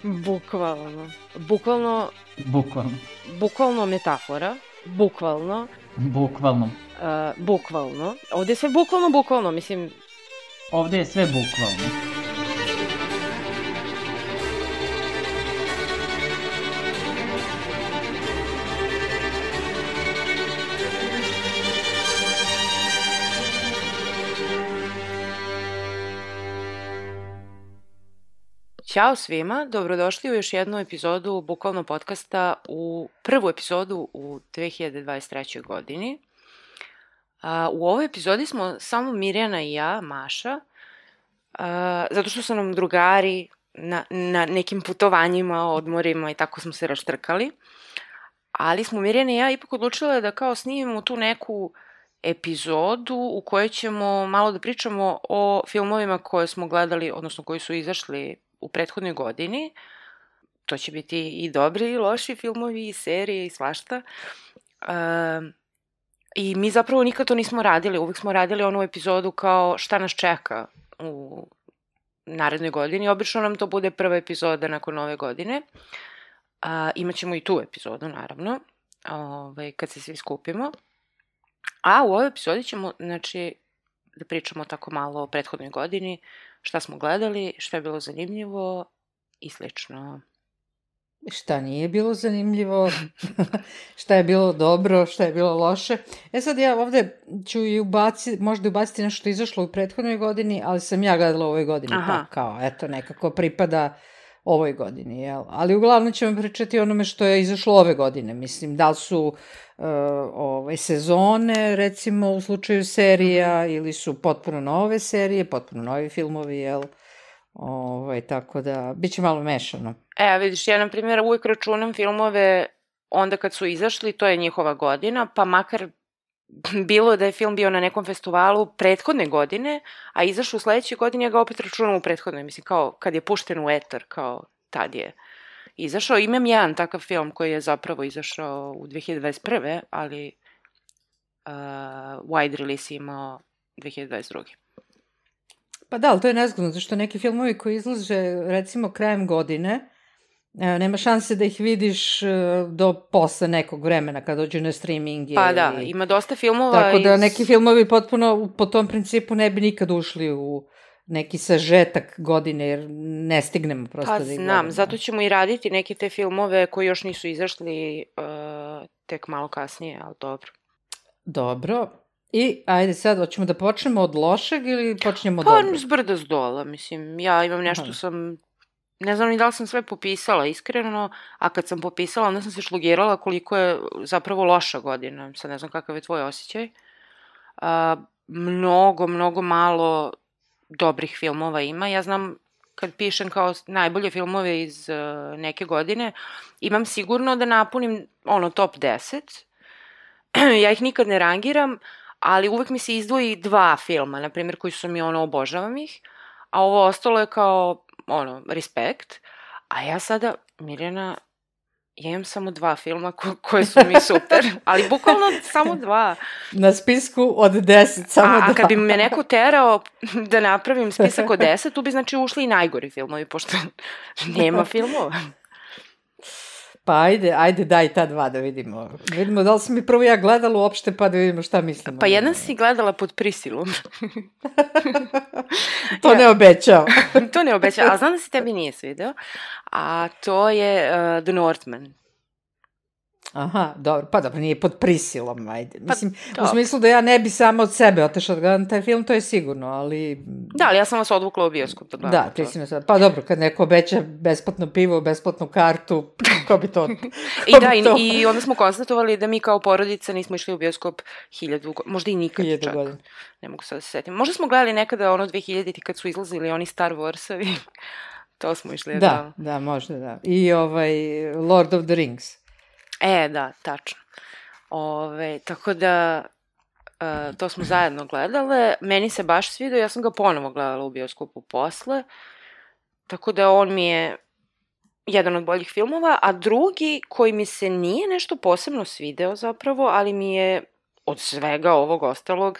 Bukvalno. Bukvalno. Bukvalno. Bukvalno metafora. Bukvalno. Bukvalno. Bukvalno. Ovde je sve bukvalno, mislim... Ovde je sve bukvalno. Ćao svima, dobrodošli u još jednu epizodu Bukvalno podcasta, u prvu epizodu u 2023. godini. U ovoj epizodi smo samo Mirjana i ja, Maša, zato što su nam drugari na nekim putovanjima, odmorima i tako smo se raštrkali. Ali smo Mirjana i ja ipak odlučile da kao snimimo tu neku epizodu u kojoj ćemo malo da pričamo o filmovima koje smo gledali, odnosno koji su izašli u prethodnoj godini. To će biti i dobri i loši filmovi i serije i svašta. I mi zapravo nikad to nismo radili. Uvijek smo radili onu epizodu kao šta nas čeka u narednoj godini. Obično nam to bude prva epizoda nakon nove godine. Imaćemo i tu epizodu, naravno, kad se svi skupimo. A u ovoj epizodi ćemo, znači, da pričamo tako malo o prethodnoj godini, šta smo gledali, šta je bilo zanimljivo i slično. Šta nije bilo zanimljivo, šta je bilo dobro, šta je bilo loše. Sad ja ovde ću i možda ubaciti nešto što je izašlo u prethodnoj godini, ali sam ja gledala u ovoj godini, pa kao, eto, nekako pripada ovoj godini, jel? Ali uglavnom ćemo pričati o onome što je izašlo ove godine, mislim, da li su sezone, recimo, u slučaju serija, ili su potpuno nove serije, potpuno novi filmovi, jel? Tako da, bit će malo mešano. Vidiš, ja, na primjer, uvijek računam filmove onda kad su izašli, to je njihova godina, pa makar bilo da je film bio na nekom festivalu prethodne godine, a izašao u sledećoj godini, ja ga opet računam u prethodnoj, mislim, kao kad je pušten u etar, kao tad je izašao. Imam jedan takav film koji je zapravo izašao u 2021. ali wide release imao 2022. Pa da, ali to je nezgodno, zato što neki filmovi koji izlaže, recimo, krajem godine, nema šanse da ih vidiš do posle nekog vremena kad dođu na streaming. Pa da, ima dosta filmova. Tako da neki filmovi potpuno po tom principu ne bi nikad ušli u neki sažetak godine, jer ne stignemo prosto da ih gledamo. Pa znam, zato ćemo i raditi neke te filmove koji još nisu izašli tek malo kasnije, ali dobro. Dobro. I ajde sad, hoćemo da počnemo od lošeg ili počnemo od dobrog? Pa zbrda zdola, mislim, ja imam nešto sam... Ne znam ni da li sam sve popisala, iskreno, a kad sam popisala, onda sam se šlogirala koliko je zapravo loša godina. Sad ne znam kakav je tvoj osjećaj. Mnogo malo dobrih filmova ima. Ja znam, kad pišem kao najbolje filmove iz neke godine, imam sigurno da napunim top 10. Ja ih nikad ne rangiram, ali uvek mi se izdvoji 2 filma, na primjer, koji su mi obožavam ih, a ovo ostalo je kao respekt, a ja sada, Mirjana, ja imam samo 2 filma koje su mi super, ali bukvalno samo 2. Na spisku od 10, samo 2. A kad bi me neko terao da napravim spisak od 10, tu bi znači ušli i najgori filmovi, pošto nema filmova. Pa ajde daj ta 2 da vidimo. Da vidimo da li sam mi prvo ja gledala uopšte, pa da vidimo šta mislimo. Pa jedan si gledala pod prisilom. To ne obećao. To ne obećao, ali znam da se tebi nije svideo. A to je The Northman. Aha, dobro, pa dobro, nije pod prisilom, ajde. Mislim, u smislu da ja ne bi samo od sebe otešla da gledam taj film, to je sigurno, ali... Da, ali ja sam vas odvukla u bioskop da gledam. Da, ti si me sad, pa dobro, kad neko obeća besplatno pivo, besplatnu kartu, ko bi to... I onda smo konstatovali da mi kao porodica nismo išli u bioskop 1000, možda i nikad čak. Godina. Ne mogu sad da se setim. Možda smo gledali nekada 2000-ti kad su izlazili oni Star Warsovi, to smo išli. Da, možda da. I Lord of the Rings. Da, tačno. Tako da, to smo zajedno gledale. Meni se baš svidio, ja sam ga ponovo gledala u bioskopu posle. Tako da on mi je jedan od boljih filmova, a drugi koji mi se nije nešto posebno svideo zapravo, ali mi je od svega ovog ostalog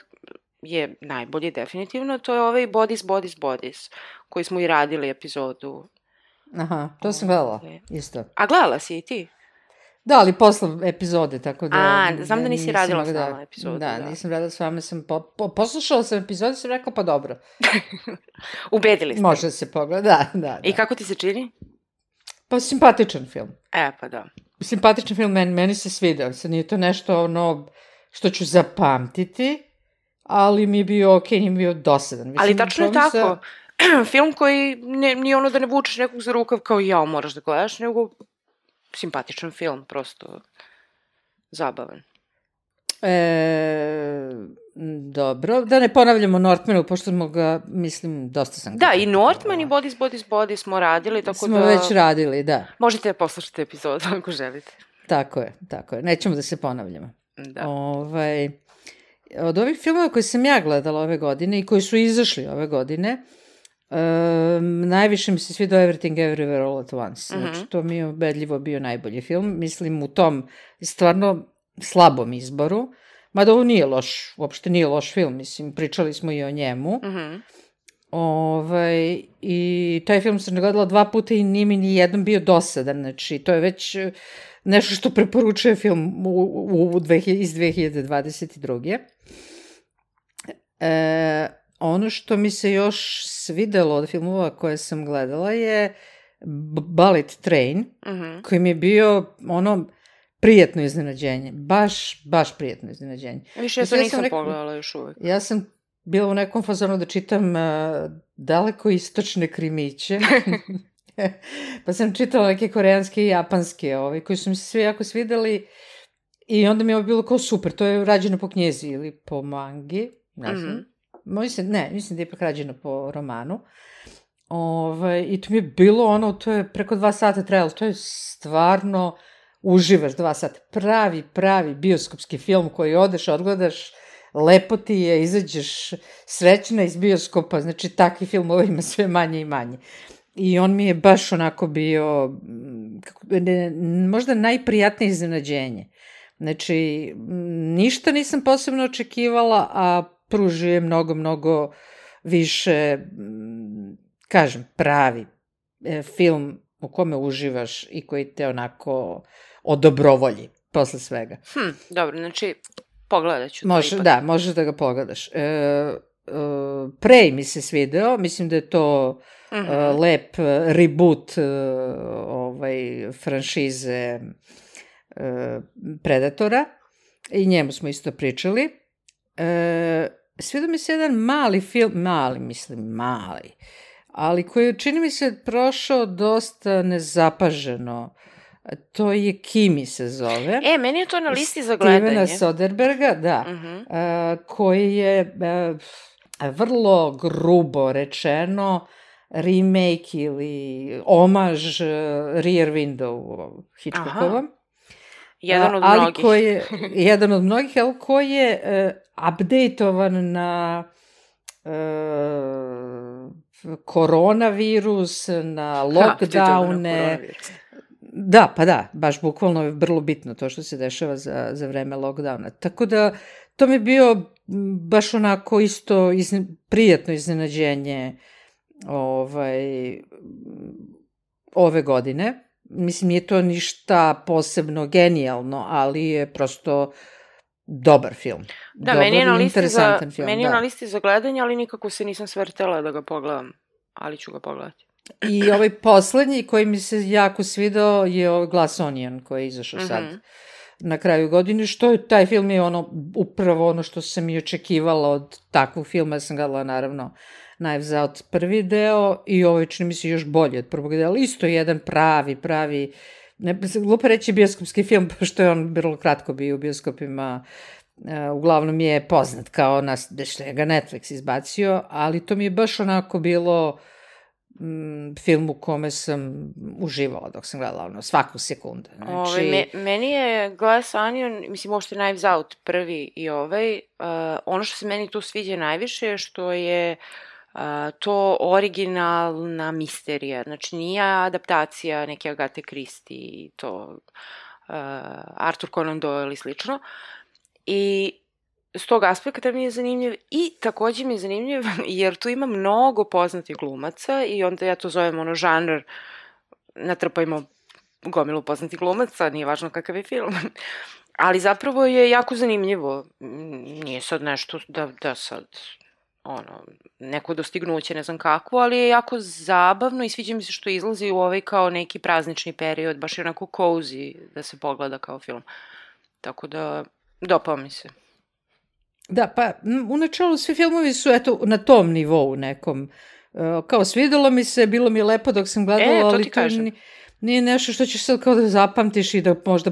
je najbolji definitivno, to je Bodies, koji smo i radili epizodu Aha, to sam gledala, isto. A gledala si i ti? Da, ali posle epizode, tako da... znam da nisi radila s nama epizodu. Da, nisam radila s vama, sam poslušala sam epizode, sam rekla pa dobro. Ubedili ste. Može se pogleda, da. I kako ti se čini? Pa simpatičan film. Pa da. Simpatičan film, meni se svidao. Sad nije to nešto što ću zapamtiti, ali mi je bio okej, nije mi bio dosadan. Mislim, ali tačno je tako. Film koji nije ono da ne vučeš nekog za rukav kao jao moraš da gledaš, nego simpatičan film, prosto zabavan. Dobro, da ne ponavljamo Northmanu, pošto smo ga, mislim, dosta sam... Da, i Northman i Body smo radili, tako smo već radili, da. Možete da poslušate epizodu ako želite. Tako je. Nećemo da se ponavljamo. Da. Od ovih filmova koje sam ja gledala ove godine i koji su izašli ove godine, najviše mi se svidao Everything Everywhere All at Once. Znači, to mi je ubedljivo bio najbolji film. Mislim, u tom stvarno slabom izboru. Mada ovo nije loš, uopšte nije loš film. Mislim, pričali smo i o njemu. I taj film sam gledala 2 puta i nije mi ni jednom bio dosadan. Znači, to je već nešto što preporučuje film iz 2022. Ono što mi se još svidelo od filmova koje sam gledala je Bullet Train, koji mi je bio prijetno iznenađenje. Baš prijetno iznenađenje. Više ja to nisam pogledala još uvek. Ja sam bila u nekom fazonu da čitam daleko istočne krimiće. Pa sam čitala neke koreanske i japanske koji su mi se svi jako svideli i onda mi je ovo bilo kao super. To je rađeno po knjezi ili po mangi, ne znam. Mislim da je ipak rađeno po romanu. I to mi je bilo to je preko 2 sata trajalo. To je stvarno, uživaš 2 sata. Pravi bioskopski film koji odeš, odgledaš, lepo ti je, izađeš srećna iz bioskopa. Znači, takvi filmova ima sve manje i manje. I on mi je baš onako bio, možda najprijatnije iznenađenje. Znači, ništa nisam posebno očekivala, a pružuje mnogo više, kažem, pravi film u kome uživaš i koji te onako odobrovolji posle svega. Dobro, znači, pogledat ću to ipak. Da, možeš da ga pogledaš. Prey mi se svideo, mislim da je to lep reboot franšize Predatora i njemu smo isto pričali. Svidio mi se jedan mali film, mali, ali koji čini mi se prošao dosta nezapaženo. To je Kimi se zove. Meni je to na listi za gledanje. Stevena Soderberga, da, koji je vrlo grubo rečeno remake ili omaž Rear Window Hitchcockovom. Jedan od mnogih. Jedan od mnogih, ali koji je updateovan na koronavirus, na lockdowne. Da, pa da, baš bukvalno je vrlo bitno to što se dešava za vreme lockdowna. Tako da, to mi je bio baš onako isto prijatno iznenađenje ove godine. Mislim, nije to ništa posebno genijalno, ali je prosto dobar film. Da, meni je na listi za gledanje, ali nikako se nisam svrtela da ga pogledam, ali ću ga pogledati. I ovaj poslednji koji mi se jako svidao je Glass Onion koji je izašao sad na kraju godine, što je taj film je upravo ono što sam i očekivala od takvog filma. Ja sam gledala naravno Knives Out prvi deo i ovo čini mi se još bolje od prvog dela, ali isto jedan pravi, glupo reći bioskopski film, pošto je on vrlo kratko bio u bioskopima, uglavnom je poznat kao što je ga Netflix izbacio, ali to mi je baš onako bilo film u kome sam uživala dok sam gledala svaku sekundu. Meni je Glass Onion, mislim uopšte Knives Out prvi i ono što se meni tu sviđa najviše je što je to originalna misterija, znači nije adaptacija neke Agathe Christie i to Arthur Conan Doyle i slično, i s tog aspekta mi je zanimljiv i takođe mi je zanimljiv jer tu ima mnogo poznatih glumaca i onda ja to zovem žanr natrpajmo gomilu poznatih glumaca, nije važno kakav je film. Ali zapravo je jako zanimljivo. Nije sad nešto da sad, neko dostignuće, ne znam kakvo, ali je jako zabavno i sviđa mi se što izlazi u ovaj kao neki praznični period, baš je onako cozy da se pogleda kao film. Tako da, dopao mi se. Da, pa u načelu svi filmovi su eto na tom nivou nekom. Kao svidelo mi se, bilo mi je lepo dok sam gledala, ali to nije nešto što ćeš sad kao da zapamtiš i da možda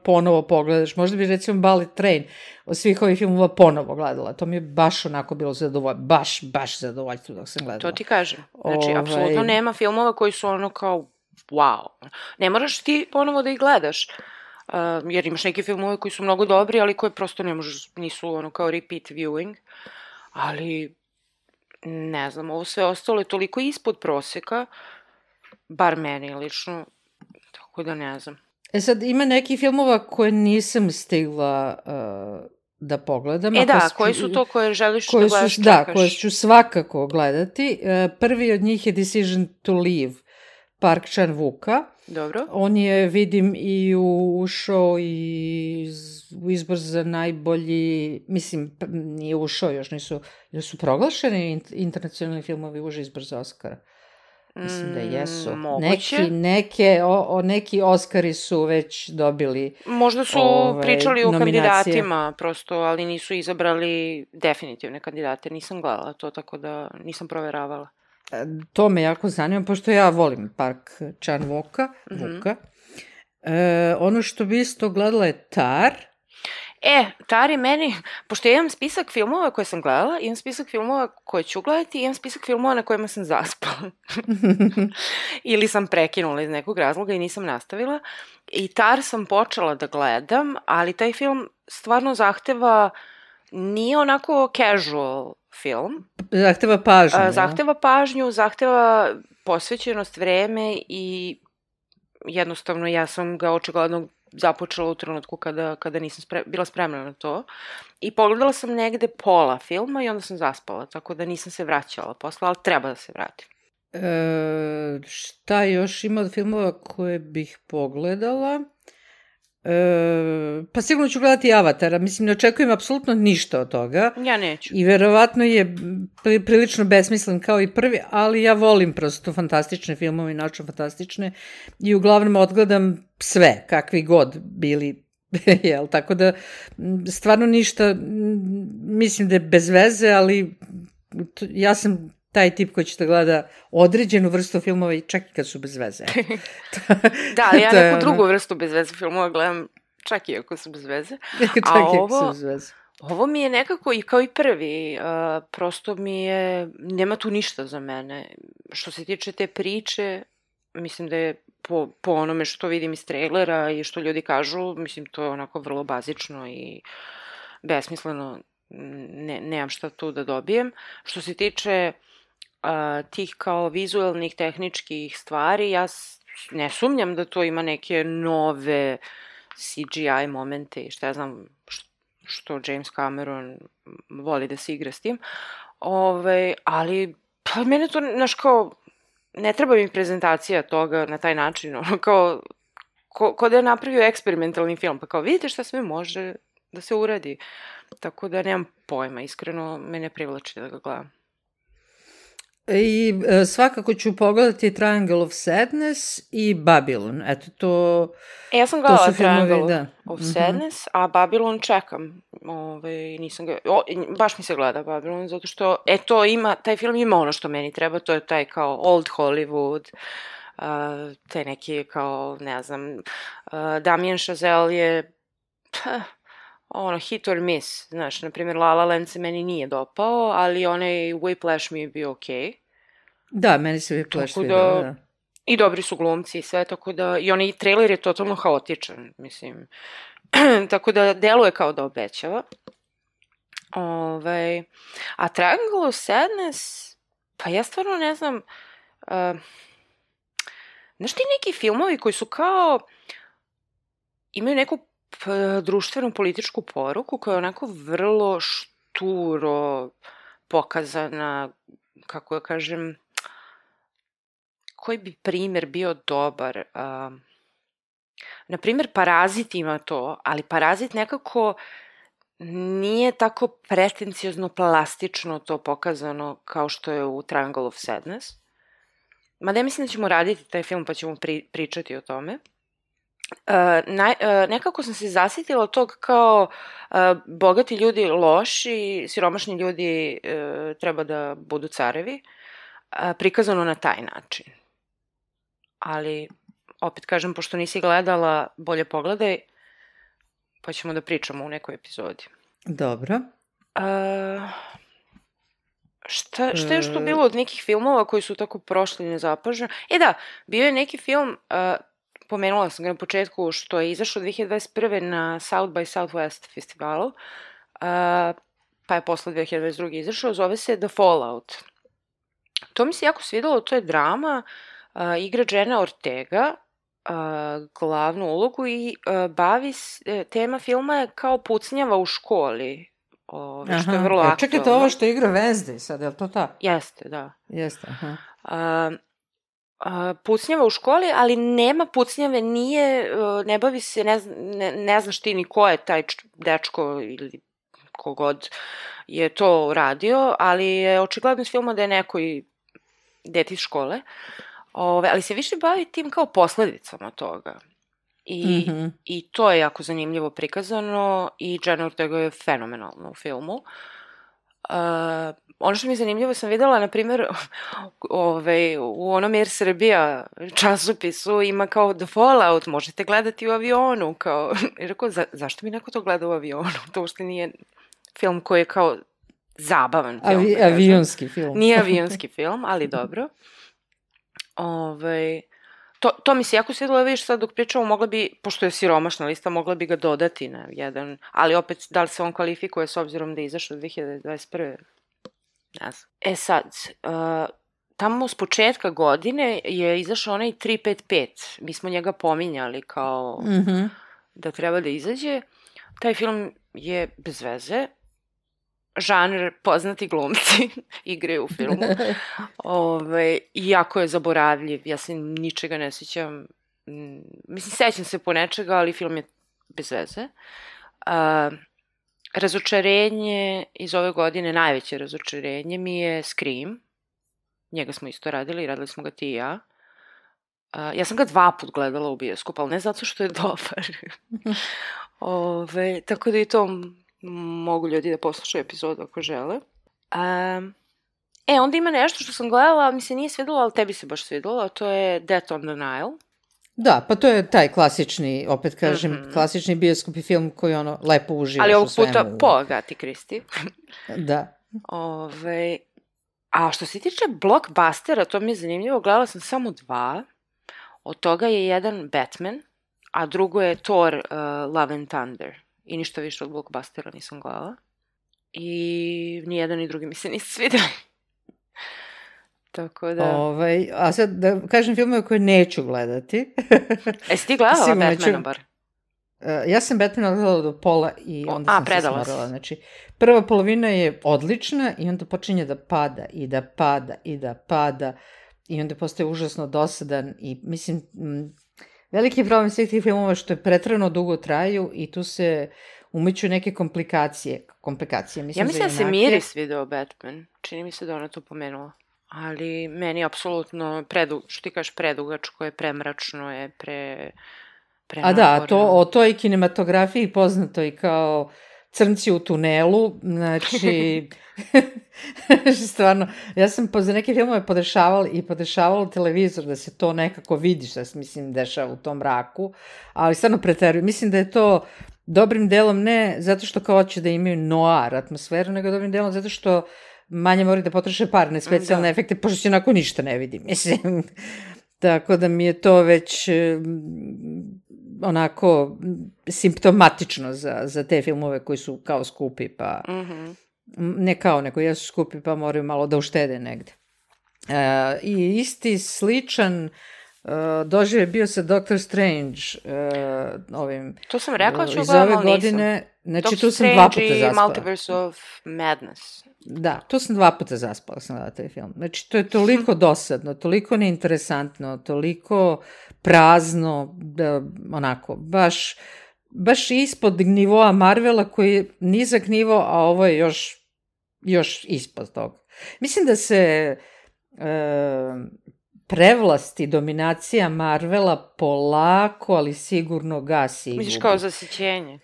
ponovo pogledaš. Možda bi recimo Bullet Train od svih ovih filmova ponovo gledala. To mi je baš onako bilo zadovoljstvo, baš zadovoljstvo dok sam gledala. To ti kažem. Znači, apsolutno nema filmova koji su ono kao wow. Ne moraš ti ponovo da ih gledaš. Jer imaš neke filmove koji su mnogo dobri, ali koje prosto ne možeš, nisu ono kao repeat viewing. Ali, ne znam, ovo sve ostalo je toliko ispod proseka, bar meni lično, tako da ne znam. Sad, ima neki filmova koje nisam stigla da pogledam. Koji su to koje želiš da gledaš, čekaš? Da, koje ću svakako gledati. Prvi od njih je Decision to Leave, Park Chan-wooka. Dobro. On je, vidim, i ušao i u izbor za najbolji, mislim, nije ušao, još nisu, jer su proglašeni internacionalni filmovi uži izbor za Oscara. Mislim da jesu. Moguće. Neki Oscari su već dobili možda su pričali o kandidatima prosto, ali nisu izabrali definitivne kandidate. Nisam gledala to, tako da nisam proveravala. To me jako zanima, pošto ja volim Park Chan-wooka. Ono što bi isto gledala je Tar. Tar je meni, pošto ja imam spisak filmova koje sam gledala, imam spisak filmova koje ću gledati i imam spisak filmova na kojima sam zaspala. Ili sam prekinula iz nekog razloga i nisam nastavila. I Tar sam počela da gledam, ali taj film stvarno zahteva, nije onako casual film. Zahteva pažnju. Zahteva pažnju, zahteva posvećenost, vreme i jednostavno ja sam ga očigledno započela u trenutku kada nisam bila spremna na to. I pogledala sam negde pola filma i onda sam zaspala, tako da nisam se vraćala posle, ali treba da se vratim. Šta još ima od filmova koje bih pogledala? Pa sigurno ću gledati Avatara. Mislim, ne očekujem apsolutno ništa od toga. Ja neću. I verovatno je prilično besmislen kao i prvi, ali ja volim prosto fantastične filmove, naučno fantastične i uglavnom odgledam sve, kakvi god bili. Tako da stvarno ništa, mislim da je bez veze, ali ja sam taj tip koji će da gleda određenu vrstu filmova i čak i kad su bez veze. Da, ja neku drugu vrstu bez veze filmova gledam čak i ako su bez veze. Ovo mi je nekako i kao i prvi, prosto mi je, nema tu ništa za mene. Što se tiče te priče, mislim da je po onome što vidim iz trailera i što ljudi kažu, mislim to je onako vrlo bazično i besmisleno, nemam šta tu da dobijem. Što se tiče tih kao vizualnih, tehničkih stvari, ja ne sumnjam da to ima neke nove CGI momente i šta ja znam što James Cameron voli da se igra s tim, ali pa mene to, znaš kao, ne treba mi prezentacija toga na taj način, ono kao da je napravio eksperimentalni film, pa kao vidite šta sve može da se uradi, tako da nemam pojma, iskreno me ne privlači da ga gledam. I svakako ću pogledati Triangle of Sadness i Babylon. Eto, to ja sam gledala Triangle of Sadness, a Babylon čekam. Nisam ga... baš mi se gleda Babylon, zato što, to ima, taj film ima ono što meni treba, to je taj kao old Hollywood, te neki kao, ne znam, Damien Chazelle je hit or miss, znaš, na primjer La La Land se meni nije dopao, ali onaj Whiplash mi je bio okej. Da, meni se Whiplash svidio, da. I dobri su glumci i sve, tako da, i onaj trailer je totalno haotičan, mislim, tako da deluje kao da obećava. A Triangle of Sadness, pa ja stvarno ne znam, znaš ti neki filmovi koji su kao, imaju neku društvenu političku poruku koja je onako vrlo šturo pokazana, kako ja kažem, koji bi primjer bio dobar. Na primjer, Parazit ima to, ali Parazit nekako nije tako pretenciozno plastično to pokazano kao što je u Triangle of Sadness. Mada ja mislim da ćemo raditi taj film pa ćemo pričati o tome. Nekako sam se zasjetila od tog kao bogati ljudi loši, siromašni ljudi treba da budu carevi, prikazano na taj način. Ali, opet kažem, pošto nisi gledala, bolje pogledaj, pa ćemo da pričamo u nekoj epizodi. Dobro. Šta je još tu bilo od nekih filmova koji su tako prošli nezapaženo? Da, bio je neki film, pomenula sam ga na početku, što je izašao 2021. na South by Southwest festivalu, pa je posle 2022. izašao, zove se The Fallout. To mi se jako svidelo, to je drama, igra Jenna Ortega, glavnu ulogu i tema filma je kao pucnjava u školi, što je vrlo aktualno. Čekajte, ovo što igra Wednesday sad, je li to ta? Jeste, da. Jeste, aha. Pucnjava u školi, ali nema pucnjave, ne bavi se, ne znaš ti ni ko je taj dečko ili kogod je to radio, ali je očigledno iz filma da je neko i dete iz škole, ali se više bavi tim kao posledicama toga. I to je jako zanimljivo prikazano i Jenna Ortega je fenomenalna u filmu. Ono što mi je zanimljivo sam videla, na primjer, u onom Air Srbija časopisu ima kao The Fallout, možete gledati u avionu, kao, i rekao, zašto mi neko to gleda u avionu? To uopšte nije film koji je kao zabavan film. Avionski film. Nije avionski film, ali dobro. To mi se jako svidelo, vidiš sad dok pričamo, mogla bi, pošto je siromašna lista, mogla bi ga dodati na jedan, ali opet, da li se on kvalifikuje s obzirom da je izašao 2021. Ne znam. Sad, tamo s početka godine je izašao onaj 355, mi smo njega pominjali kao da treba da izađe. Taj film je bez veze, žanr poznati glumci igraju u filmu. Iako je zaboravljiv, ja se ničega ne sjećam. Mislim, sećam se po nečega, ali film je bez veze. Razočarenje iz ove godine, najveće razočarenje mi je Scream. Njega smo isto radili smo ga ti i ja. Ja sam ga 2 put gledala u bioskopu, ali ne zato što je dobar. Tako da i to mogu ljudi da poslušaju epizodu ako žele. Onda ima nešto što sam gledala, mi se nije svidjelo, ali tebi se baš svidjelo, a to je Death on the Nile. Da, pa to je taj klasični, opet kažem, klasični bioskop i film koji lepo uživaš ali u svemu. Ali ovog puta po Agati Kristi. Da. A što se tiče blockbustera, to mi je zanimljivo, gledala sam samo 2. Od toga je jedan Batman, a drugo je Thor Love and Thunder. I ništa više od blockbustera nisam gledala. I ni jedan ni drugi mi se nisu svidjeli. Tako da... a sad da kažem filmove koje neću gledati. Jesi ti gledala Batmana bar? Ja sam Batmana gledala do pola i onda sam se smorala. Znači, prva polovina je odlična i onda počinje da pada i da pada i da pada i onda postaje užasno dosadan i mislim... Veliki problem svih tih filmova što je pretrano dugo traju i tu se umeću neke komplikacije. Ja mislim da se Miris video Batman. Čini mi se da ona to pomenula. Ali meni je apsolutno što ti kažeš predugačko je, premračno je, A da, o toj kinematografiji poznato i kao Crnci u tunelu, znači, stvarno, ja sam za neke filmove podešavala televizor da se to nekako vidi što se, mislim, dešava u tom mraku, ali stvarno preterujem. Mislim da je to dobrim delom ne zato što kao hoće da imaju noir atmosferu, nego dobrim delom zato što manje moraju da potroše parne specijalne efekte, pošto se onako ništa ne vidi, mislim. Tako da mi je to već onako simptomatično za te filmove koji su kao skupi, pa ne kao nego jesu skupi pa moraju malo da uštede negde. I isti sličan doživljaj bio sa Doctor Strange ovim to sam rekla ću iz ove godine, znači tu sam 2 puta zaspala. Multiverse of Madness. Da, to sam 2 puta zaspala sam gledala taj film. Znači, to je toliko dosadno, toliko neinteresantno, toliko prazno, da, onako, baš ispod nivoa Marvela koji je nizak nivo, a ovo je još ispod toga. Mislim da se prevlast i dominacija Marvela polako, ali sigurno gasi i gubi. Misliš kao zasićenje?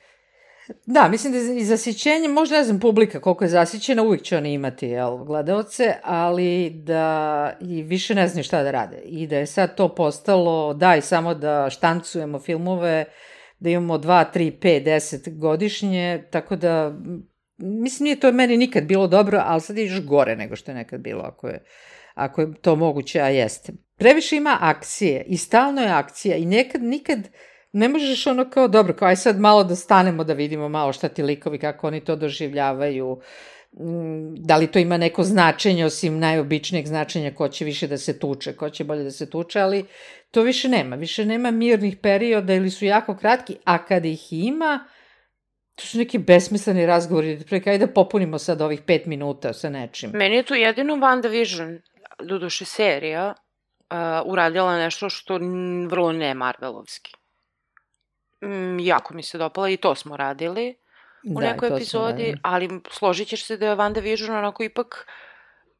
Da, mislim da je i zasićenje, možda ne znam publika koliko je zasićena, uvijek će oni imati gledaoce, ali da i više ne znaju šta da rade. I da je sad to postalo, daj samo da štancujemo filmove, da imamo 2, 3, 5, 10 godišnje, tako da, mislim, nije to meni nikad bilo dobro, ali sad je još gore nego što je nekad bilo, ako je to moguće, a jeste. Previše ima akcije i stalno je akcija i nikad ne možeš ono kao, dobro, kao aj sad malo da stanemo da vidimo malo šta ti likovi, kako oni to doživljavaju, da li to ima neko značenje, osim najobičnijeg značenja, ko će više da se tuče, ko će bolje da se tuče, ali to više nema mirnih perioda ili su jako kratki, a kad ih ima, to su neki besmisleni razgovori, ajde da popunimo sad ovih 5 minuta sa nečim. Meni je tu jedino WandaVision, doduše serija, uradila nešto što vrlo ne Marvelovski. Jako mi se dopala i to smo radili u nekoj epizodi, ali složit ćeš se da je WandaVision onako ipak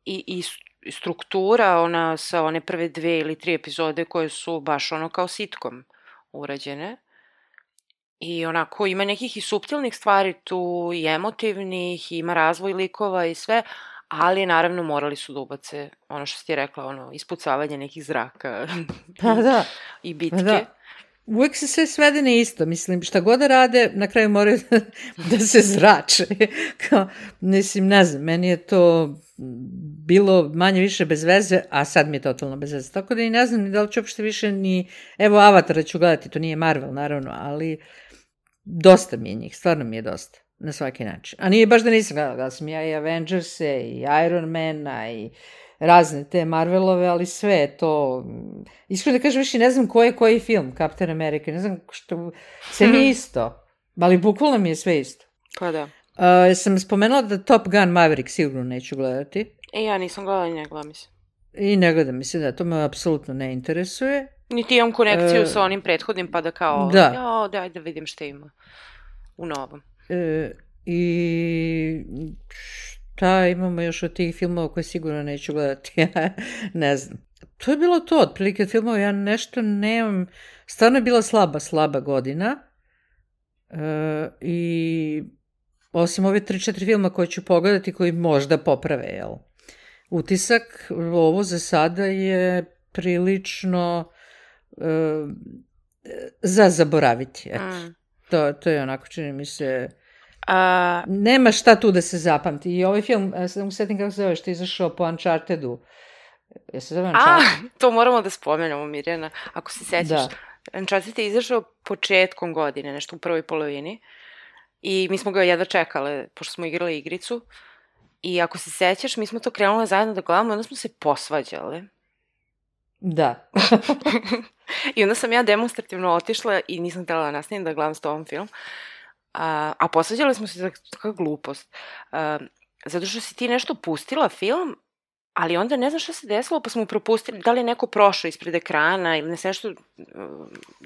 i struktura ona sa one prve 2 ili 3 epizode koje su baš ono kao sitcom urađene. I onako ima nekih i suptilnih stvari tu i emotivnih, ima razvoj likova i sve, ali naravno morali su da ubace ono što si ti rekla, ono ispucavanje nekih zraka i bitke. Da. Uvijek se sve svede na isto, mislim, šta god da rade, na kraju moraju da se zrače. Mislim, ne znam, meni je to bilo manje više bez veze, a sad mi je totalno bez veze. Tako da i ne znam ni da li ću uopšte više ni, evo Avatara ću gledati, to nije Marvel naravno, ali dosta mi je njih, stvarno mi je dosta, na svaki način. A nije baš da nisam gledala sam ja i Avengerse, i Iron Mana, i razne te Marvelove, ali sve je to, iskreno da kažem više ne znam koji film Captain America, ne znam što, sve mi je isto, ali bukvalno mi je sve isto. Pa da. Sam spomenula da Top Gun Maverick sigurno neću gledati. Ja nisam gledala i ne gledam, mislim. I ne gledam, mislim da to me apsolutno ne interesuje. Niti imam konekciju sa onim prethodnim, pa da kao, daj da vidim šta ima u novom. I šta imamo još od tih filmova koje sigurno neću gledati, ne znam. To je bilo to, otprilike filmova, ja nešto nemam, stvarno je bila slaba godina i osim ove 3-4 filma koje ću pogledati koji možda poprave, jel? Utisak, ovo za sada je prilično za zaboraviti, eto. To je onako, čini mi se, nema šta tu da se zapamti. I ovaj film, sad mu setim kako se zove, što je izašao po Unchartedu. Se zove Uncharted? To moramo da spomenemo, Mirjana, ako se sećaš. Uncharted je izašao početkom godine, nešto u prvoj polovini. I mi smo ga jedva čekale, pošto smo igrali igricu. I ako se sećaš, mi smo to krenule zajedno da gledamo i onda smo se posvađale. Da. I onda sam ja demonstrativno otišla i nisam htjela da nastavim da gledam s tobom film. A posvađale smo se za kakva glupost. Zato što si ti nešto pustila film, ali onda ne znam šta se desilo, pa smo propustili, da li je neko prošao ispred ekrana ili ne se nešto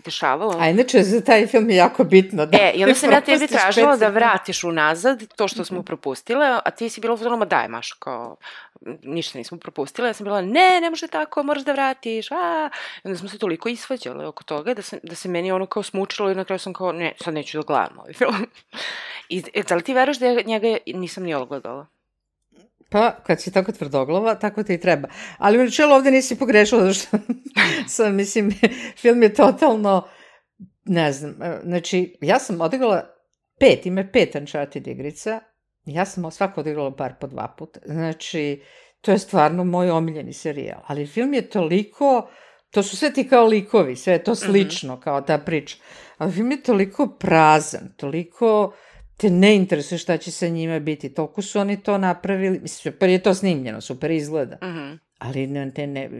dešavalo. A inače, za taj film je jako bitno. Da i onda sam ja tebi tražila da vratiš unazad to što smo propustile, a ti si bila u fazonu, daj Maš, kao, ništa nismo propustile. Ja sam bila, ne može tako, moraš da vratiš. I onda smo se toliko isvađale oko toga da se meni ono kao smučilo i na kraju sam kao, ne, sad neću da gledam ovaj film. I da li ti veruješ da njega nisam ni odgledala? Pa, kad si tako tvrdoglava, tako ti i treba. Ali u načelu ovde nisi pogrešila, zato što sam, mislim, film je totalno, ne znam, znači, ja sam odigrala 5 Uncharted igrica, ja sam svako odigrala bar po 2 puta, znači, to je stvarno moj omiljeni serijal, ali film je toliko, to su sve ti kao likovi, sve je to slično, kao ta priča, ali film je toliko prazan, toliko te ne interesuje šta će sa njima biti. Toliko su oni to napravili. Mislim, super je to snimljeno, super izgleda. Ali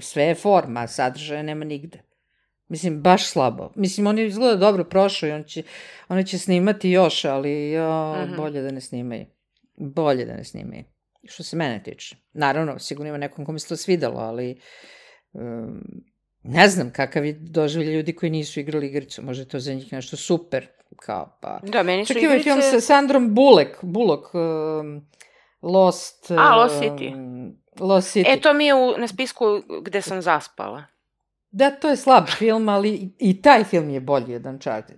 sve je forma, sadržaja nema nigde. Mislim, baš slabo. Mislim, oni izgleda dobro prošao i oni će snimati još, ali bolje da ne snimaju. što se mene tiče. Naravno, sigurno ima nekom kome se to svidelo, ali ne znam kakav je doživlje ljudi koji nisu igrali igricu. Možda je to za njih nešto super. Kao, pa... Da, meni su čak igrice... Čak film sa Sandrom Bullock, Lost City. Lost City. To mi je na spisku gde sam zaspala. Da, to je slab film, ali i taj film je bolji od Uncharted.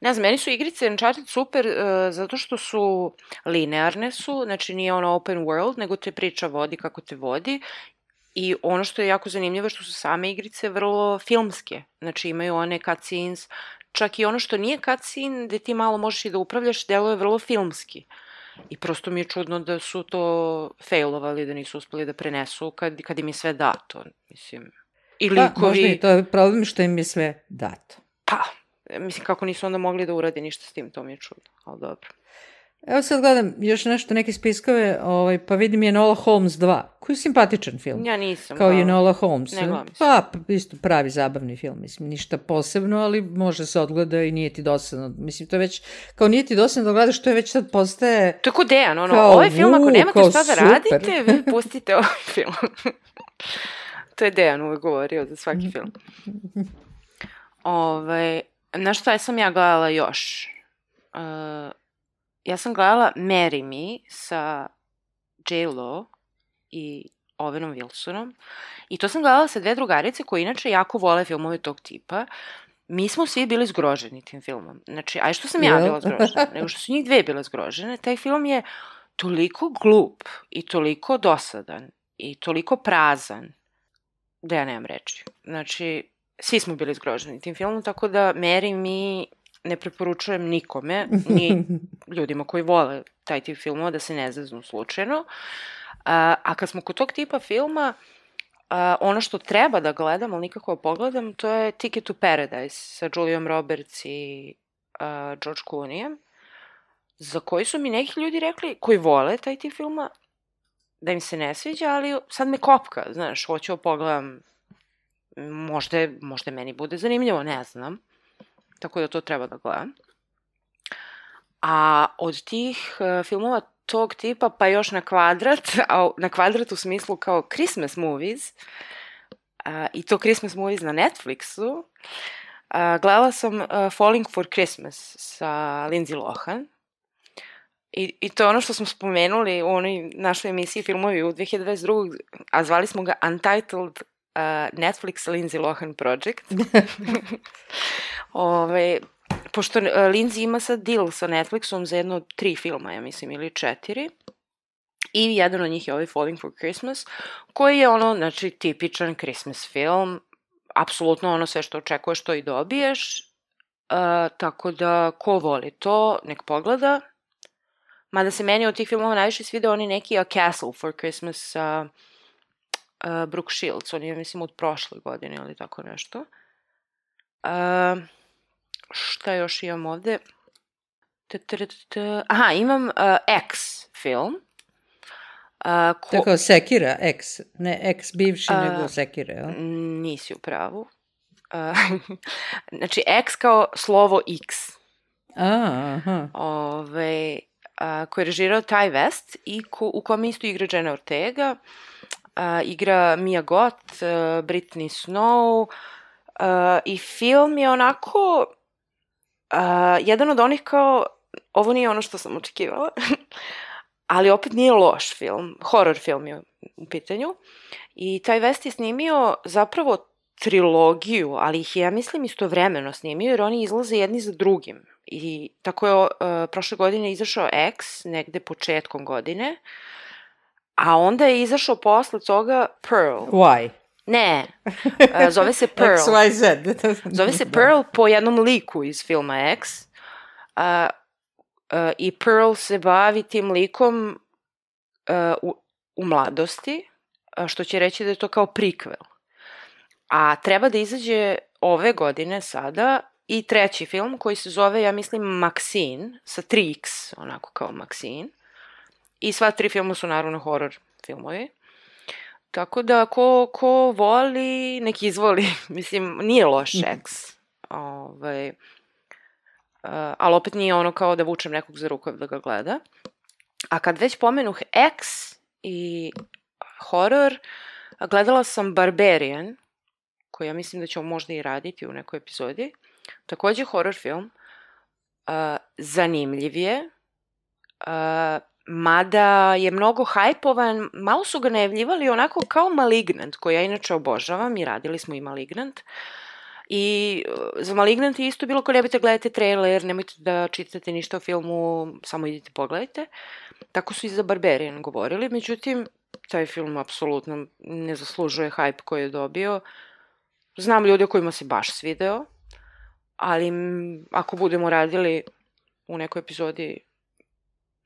Ne znam, meni su igrice Uncharted super zato što su linearne su, znači nije ono open world, nego te priča vodi kako te vodi. I ono što je jako zanimljivo je što su same igrice vrlo filmske. Znači imaju one cutscenes, čak i ono što nije cutscene, gde ti malo možeš i da upravljaš, delo je vrlo filmski. I prosto mi je čudno da su to failovali, da nisu uspeli da prenesu kad im je sve dato. Mislim, i likovi... Pa, možda i to je problem što im je sve dato. Pa, mislim, kako nisu onda mogli da urade ništa s tim, to mi je čudno, ali dobro. Evo sad gledam još nešto, neke spiskove, pa vidim je Enola Holmes 2, koji je simpatičan film. Ja nisam. Kao i Enola Holmes. Ne gledam. Pa, isto pravi zabavni film, mislim, ništa posebno, ali može se odgleda i nije ti dosadno. Mislim, to je već, kao nije ti dosadno da gledaš, to je već sad postaje... To je ko Dejan, ovaj film, ako nemate šta da radite, vi pustite ovaj film. To je Dejan uvek govorio za svaki film. Na šta sam ja gledala još? Ja sam gledala Marry Me sa J.Lo i Owenom Wilsonom i to sam gledala sa dve drugarice koje inače jako vole filmove tog tipa. Mi smo svi bili zgroženi tim filmom. Znači, a što sam ja bila zgrožena? Nego što su njih dve bile zgrožene. Taj film je toliko glup i toliko dosadan i toliko prazan da ja nemam reči. Znači, svi smo bili zgroženi tim filmom, tako da Marry Me ne preporučujem nikome, ni ljudima koji vole taj tip filmova, da se ne zaznu slučajno. A kad smo kod tog tipa filma, ono što treba da gledam, ali nikako pogledam, to je Ticket to Paradise sa Julijom Roberts i George Clooneyem, za koji su mi neki ljudi rekli, koji vole taj tip filma, da im se ne sviđa, ali sad me kopka, znaš, hoću pogledam, možda meni bude zanimljivo, ne znam. Tako da to treba da gledam. A od tih filmova tog tipa, pa još na kvadrat, a na kvadrat u smislu kao Christmas movies, i to Christmas movies na Netflixu, gledala sam Falling for Christmas sa Lindsay Lohan. I to je ono što smo spomenuli u onoj našoj emisiji filmovi u 2022. A zvali smo ga Untitled Netflix Lindsay Lohan Project. Pošto Lindsay ima sad deal sa Netflixom za jedno 3 filma, ja mislim, ili 4. I jedan od njih je ovaj Falling for Christmas, koji je ono, znači, tipičan Christmas film. Apsolutno ono sve što očekuješ, to i dobiješ. Tako da, ko voli to, nek pogleda. Mada se meni od tih filmova najviše sviđa oni neki A Castle for Christmas sa Brooke Shields. On je, mislim, od prošle godine ili tako nešto. Šta još imam ovde? Aha, imam X film. To je kao Sekira, X. Ne X bivši, nego Sekira, jel? Nisi u pravu. Znači, X kao slovo X. Aha. Koji je režirao Ty West i u kome isto igra Jenna Ortega. Igra Mia Goth, Brittany Snow. I film je onako... jedan od onih kao, ovo nije ono što sam očekivala, ali opet nije loš film, horror film je u pitanju. I Ty West je snimio zapravo trilogiju, ali ih je, ja mislim, istovremeno snimio, jer oni izlaze jedni za drugim. I tako je prošle godine izašao X, negde početkom godine, a onda je izašao posle toga Pearl. Why? Ne, zove se Pearl. XYZ. Zove se Pearl po jednom liku iz filma X. I Pearl se bavi tim likom u mladosti, što će reći da je to kao prequel. A treba da izađe ove godine sada i treći film koji se zove, ja mislim, Maxine, sa 3X, onako kao Maxine. I sva 3 filma su naravno horror filmovi. Tako da, ko voli, nek izvoli. Mislim, nije loš X. Ali opet nije ono kao da vučem nekog za rukav da ga gleda. A kad već pomenuh X i horor, gledala sam Barbarian, koji ja mislim da ćemo možda i raditi u nekoj epizodi. Takođe horor film. Zanimljiv je. Mada je mnogo hajpovan, malo su ga najavljivali onako kao Malignant, koji ja inače obožavam i radili smo i Malignant. I za Malignant je isto bilo ko nebojte gledate trailer, nemojte da čitate ništa o filmu, samo idite pogledajte. Tako su i za Barbarian govorili, međutim, taj film apsolutno ne zaslužuje hype koji je dobio. Znam ljude kojima se baš svideo, ali ako budemo radili u nekoj epizodi,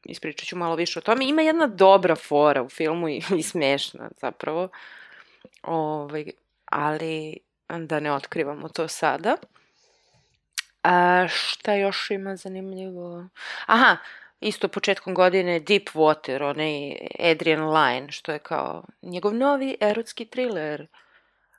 ispričat ću malo više o tome. Ima jedna dobra fora u filmu i smešna zapravo, ali da ne otkrivamo to sada. Šta još ima zanimljivo? Aha, isto početkom godine Deep Water, onaj Adrian Lyne, što je kao njegov novi erotski thriller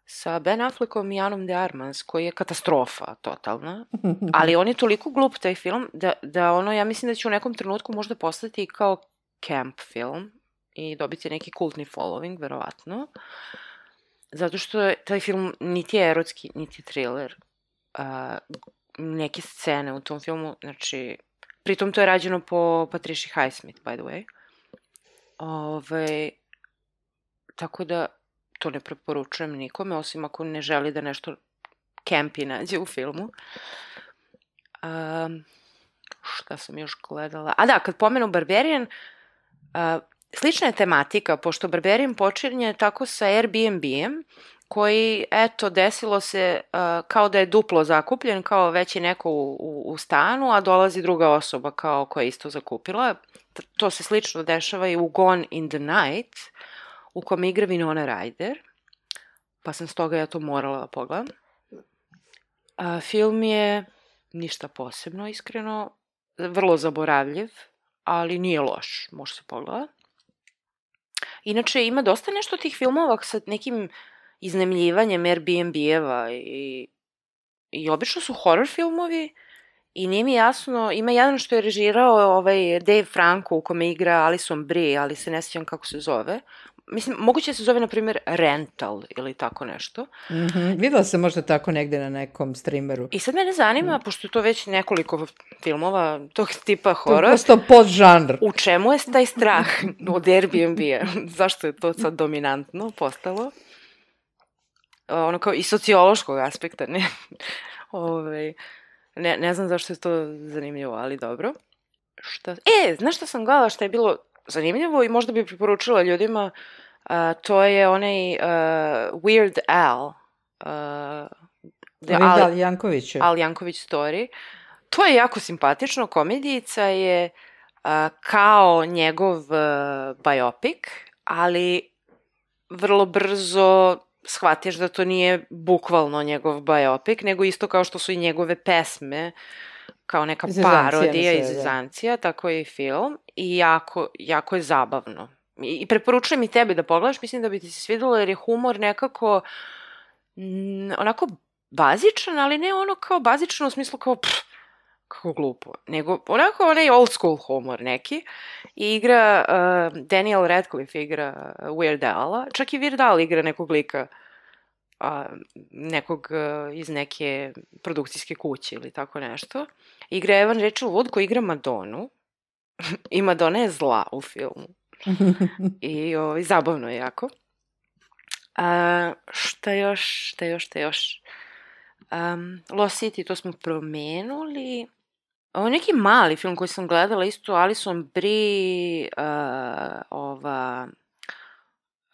sa Ben Affleckom i Anom de Armas, koji je katastrofa totalna, ali on je toliko glup taj film da ono, ja mislim da će u nekom trenutku možda postati kao camp film i dobiti neki kultni following, verovatno, zato što je taj film niti je erotski, niti thriller. Neke scene u tom filmu, znači, pritom to je rađeno po Patricia Highsmith, by the way. Tako da to ne preporučujem nikome, osim ako ne želi da nešto campi nađe u filmu. Šta sam još gledala? Da, kad pomenu Barbarian, slična je tematika, pošto Barbarian počinje tako sa Airbnb-em, koji, eto, desilo se kao da je duplo zakupljen, kao već je neko u stanu, a dolazi druga osoba kao koja je isto zakupila. To se slično dešava i u Gone in the Night, u kom igra Winona Ryder, pa sam stoga ja to morala da pogledam. Film je ništa posebno, iskreno, vrlo zaboravljiv, ali nije loš, može se pogleda. Inače, ima dosta nešto tih filmova sa nekim iznemljivanjem Airbnb-eva i obično su horror filmovi i nije mi jasno, ima jedan što je režirao Dave Franco u kome igra Alison Brie, ali se ne sjećam kako se zove. Mislim, moguće se zove, na primjer, Rental ili tako nešto. Videla sam možda tako negde na nekom streameru. I sad mene zanima, pošto je to već nekoliko filmova tog tipa horor. To je prosto podžanr. U čemu je taj strah od Airbnb-a? Zašto je to sad dominantno postalo? Ono kao i sociološkog aspekta, ne? Ne znam zašto je to zanimljivo, ali dobro. Znaš šta sam gledala što je bilo zanimljivo i možda bi preporučila ljudima, to je onaj Weird Al. Al Janković. Al Janković story. To je jako simpatično, komedijica je kao njegov biopic, ali vrlo brzo shvatiš da to nije bukvalno njegov biopic, nego isto kao što su i njegove pesme, kao neka parodija i zezancija, tako je i film, i jako je zabavno. I preporučujem i tebi da pogledaš, mislim da bi ti se svidelo, jer je humor nekako onako bazičan, ali ne ono kao bazično u smislu kao kako glupo, nego onako onaj old school humor neki. I igra, Daniel Radcliffe igra Weird Al-a, čak i Weird Al igra nekog lika, nekog iz neke produkcijske kuće ili tako nešto. Igra Evan Rachel Wood koji igra Madonu i Madonna je zla u filmu. I zabavno je jako. Šta još? Lost City, to smo promenuli. Ovo je neki mali film koji sam gledala, isto Alison Brie,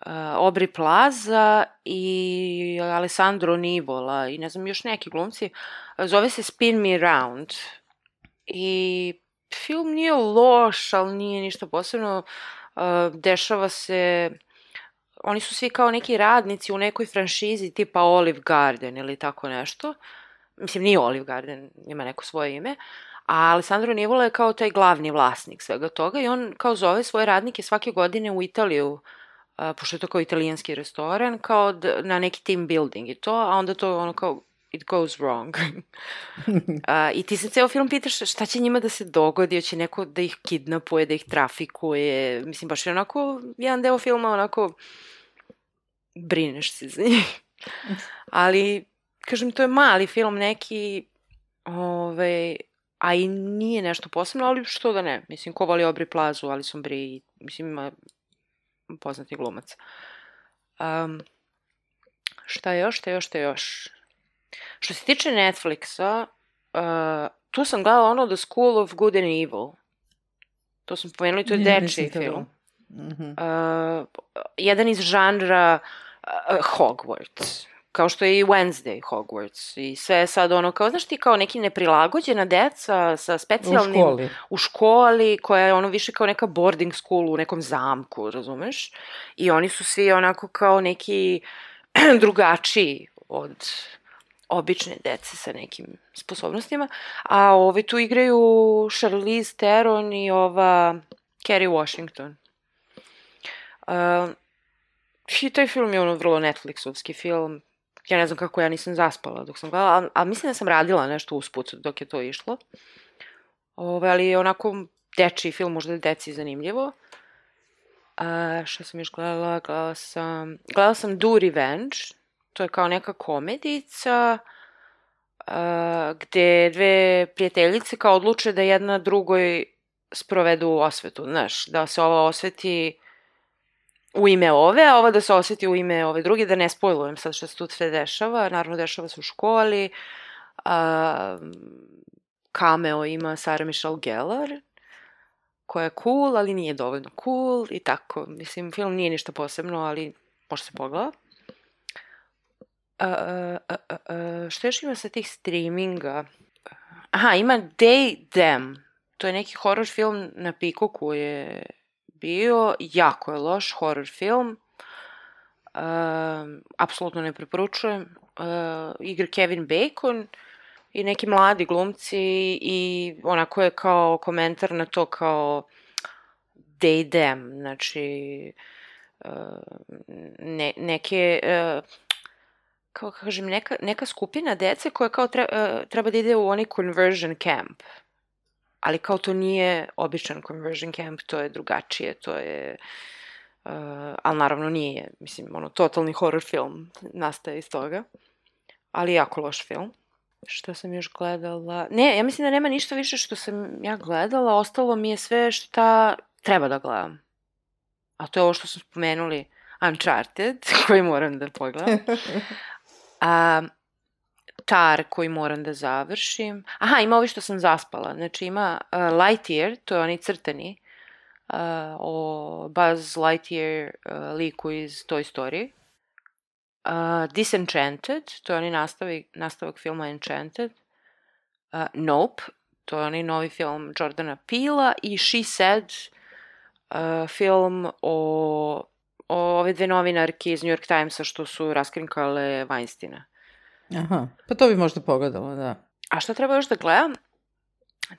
Aubrey Plaza i Alessandro Nivola i ne znam još neki glumci. Zove se Spin Me Round. I film nije loš, ali nije ništa posebno. Dešava se, oni su svi kao neki radnici u nekoj franšizi tipa Olive Garden ili tako nešto. Mislim, nije Olive Garden, ima neko svoje ime. A Alessandro Nivola je kao taj glavni vlasnik svega toga i on kao zove svoje radnike svake godine u Italiju, pošto je to kao italijanski restoran, kao na neki team building i to, a onda to ono kao it goes wrong. I ti se ceo film pitaš šta će njima da se dogodi, hoće neko da ih kidnapuje, da ih trafikuje, mislim, baš je onako, jedan deo filma onako, brineš se za njih. Ali, kažem, to je mali film neki, a i nije nešto posebno, ali što da ne, mislim, ko voli Aubrey Plazu, Alison Brie, mislim, ima poznati glumac. Šta još? Što se tiče Netflixa, tu sam gledala ono The School of Good and Evil. To sam pomenuli, to je dečiji film. Jedan iz žanra Hogwarts. Kao što je i Wednesday Hogwarts. I sve je sad ono kao, znaš ti, kao neki neprilagođena deca sa specijalnim... U školi, koja je ono više kao neka boarding school u nekom zamku, razumeš? I oni su svi onako kao neki drugačiji od obične dece sa nekim sposobnostima. A ovi tu igraju Charlize Theron i ova Kerry Washington. I taj film je ono vrlo Netflixovski film. Ja ne znam kako ja nisam zaspala dok sam gledala, a mislim da sam radila nešto usput dok je to išlo. Ali je onako dečiji film, možda je deci zanimljivo. Šta sam još gledala? Gledala sam Do Revenge. To je kao neka komedica gde dve prijateljice kao odluče da jedna drugoj sprovedu osvetu, znaš, da se ova osveti u ime ove, a ova da se osveti u ime ove druge, da ne spojlujem sad što se tu sve dešava, naravno dešava se u školi, cameo ima Sarah Michelle Gellar, koja je cool, ali nije dovoljno cool i tako, mislim, film nije ništa posebno, ali može se pogleda. Što još ima sa tih streaminga? Aha, ima They, Them. To je neki horror film na Peacocku je bio. Jako je loš horror film. Apsolutno ne preporučujem. Igra Kevin Bacon i neki mladi glumci i onako je kao komentar na to kao They, Them. Znači, neke... kao kažem, neka skupina dece koja kao treba da ide u onaj conversion camp. Ali kao to nije običan conversion camp, to je drugačije, to je... ali naravno nije, mislim, ono, totalni horror film nastaje iz toga. Ali jako loš film. Što sam još gledala? Ne, ja mislim da nema ništa više što sam ja gledala, ostalo mi je sve šta treba da gledam. A to je ovo što smo spomenuli, Uncharted, koji moram da pogledam. Tar koji moram da završim. Aha, ima ovi što sam zaspala. Znači ima Lightyear, to je onaj crtani, o Buzz Lightyear liku iz Toy Story. Disenchanted, to je onaj nastavak filma Enchanted. Nope, to je onaj novi film Jordana Peela. I She Said, film o ove dve novinarke iz New York Timesa što su raskrinkale Weinsteina. Aha, pa to bi možda pogledala, da. A šta treba još da gledam?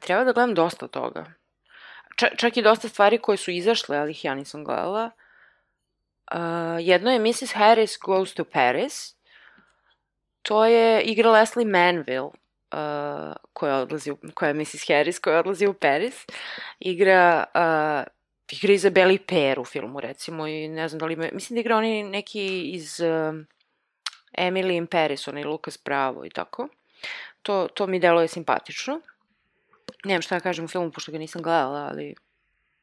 Treba da gledam dosta toga. Čak i dosta stvari koje su izašle, ali ih ja nisam gledala. Jedno je Mrs. Harris Goes to To je igra Leslie Manville, koja je Mrs. Harris, koja odlazi u Paris. Igra Izabeli Per u filmu, recimo, i ne znam da li ima... Mislim da igra oni neki iz Emily in Paris, onaj Lucas Bravo i tako. To mi deluje simpatično. Nemam šta da kažem u filmu, pošto ga nisam gledala, ali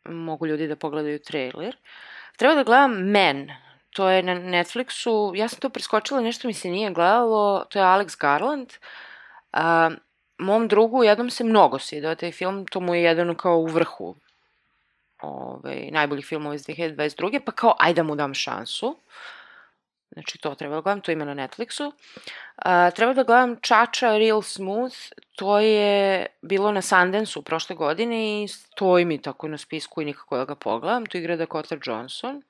mogu ljudi da pogledaju trailer. Treba da gledam Men. To je na Netflixu. Ja sam to preskočila, nešto mi se nije gledalo. To je Alex Garland. Mom drugu jednom se mnogo svidao taj film. To mu je jedan kao u vrhu najboljih filmova iz 2022. Pa kao, ajde da mu dam šansu. Znači, to treba da gledam, to ima na Netflixu. Treba da gledam Čača Real Smooth, to je bilo na Sundance-u prošle godine i stoji mi tako na spisku i nikako da ga pogledam. Tu igra Dakota Johnson.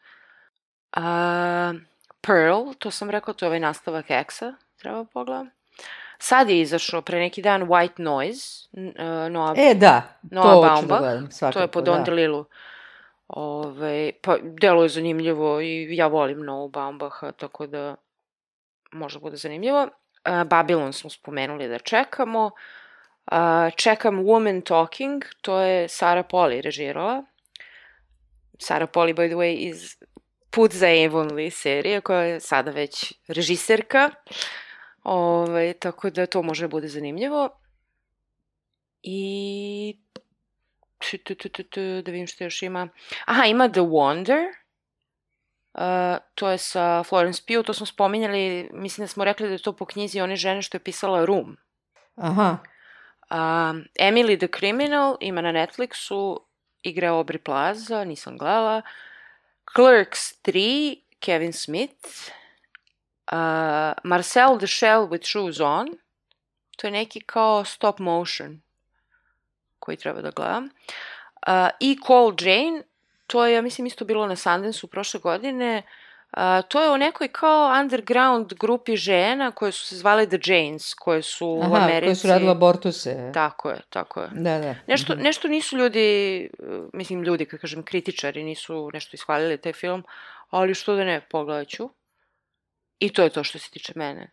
Pearl, to sam rekla, to je ovaj nastavak X-a, treba pogledam. Sad je izašao pre neki dan White Noise. Da, Noah to hoću da gledam, svakako. To je po Don DeLillu. Pa delo je zanimljivo i ja volim Noah Baumbacha, tako da možda bude zanimljivo. Babylon smo spomenuli da čekamo. Čekam Woman Talking, to je Sarah Polley režirala. Sarah Polley, by the way, iz Put za Avonlea serije, koja je sada već režiserka. Tako da to može da bude zanimljivo. I da vidim što još ima. Aha, ima The Wonder. To je sa Florence Pugh, to smo spominjali, mislim da smo rekli da je to po knjizi one žene što je pisala Room. Aha. Emily the Criminal ima na Netflixu, igra Aubrey Plaza, nisam gledala. Clerks 3, Kevin Smith. Marcel the Shell with Shoes On. To je neki kao stop motion koji treba da gledam. I Call Jane, to je, ja mislim, isto bilo na Sundance-u prošle godine. To je o nekoj kao underground grupi žena koje su se zvale The Janes, koje su u Americi... koje su radile abortuse. Tako je. Da. Nešto nisu ljudi, mislim ljudi, kad kažem kritičari, nisu nešto ishvalili taj film, ali što da ne, pogledat ću. I to je to što se tiče mene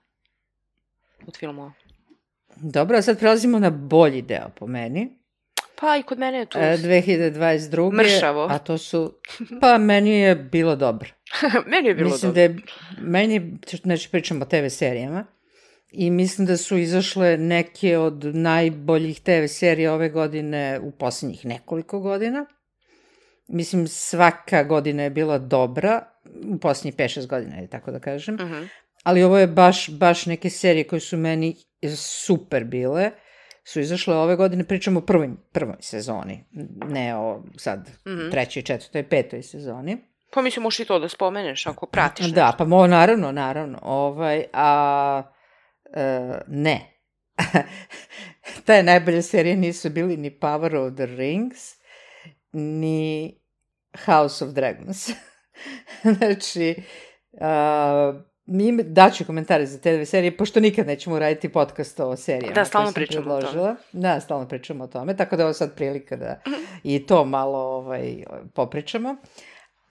od filmova. Dobro, a sad prelazimo na bolji deo po meni. Pa i kod mene je tu... 2022. Mršavo. A to su... Pa meni je bilo dobro. Meni je bilo mislim dobro. Da je, meni, znači pričamo o TV serijama, i mislim da su izašle neke od najboljih TV serija ove godine u posljednjih nekoliko godina. Mislim, svaka godina je bila dobra, u posljednjih 5-6 godina, tako da kažem. Uh-huh. Ali ovo je baš neke serije koje su meni super bile, su izašle ove godine, pričamo o prvoj sezoni, ne o sad trećoj, četvrtoj, petoj sezoni. Pa mislim, možeš i to da spomeneš ako pratiš nešto. Da, pa naravno. Ne. Te najbolje serije nisu bili ni Power of the Rings, ni House of Dragons. Znači, daću komentare za te dve serije, pošto nikad nećemo raditi podcast o serijama. Da, stalno pričamo o tome. Da, stalno pričamo o tome, tako da je ovo sad prilika da i to malo popričamo.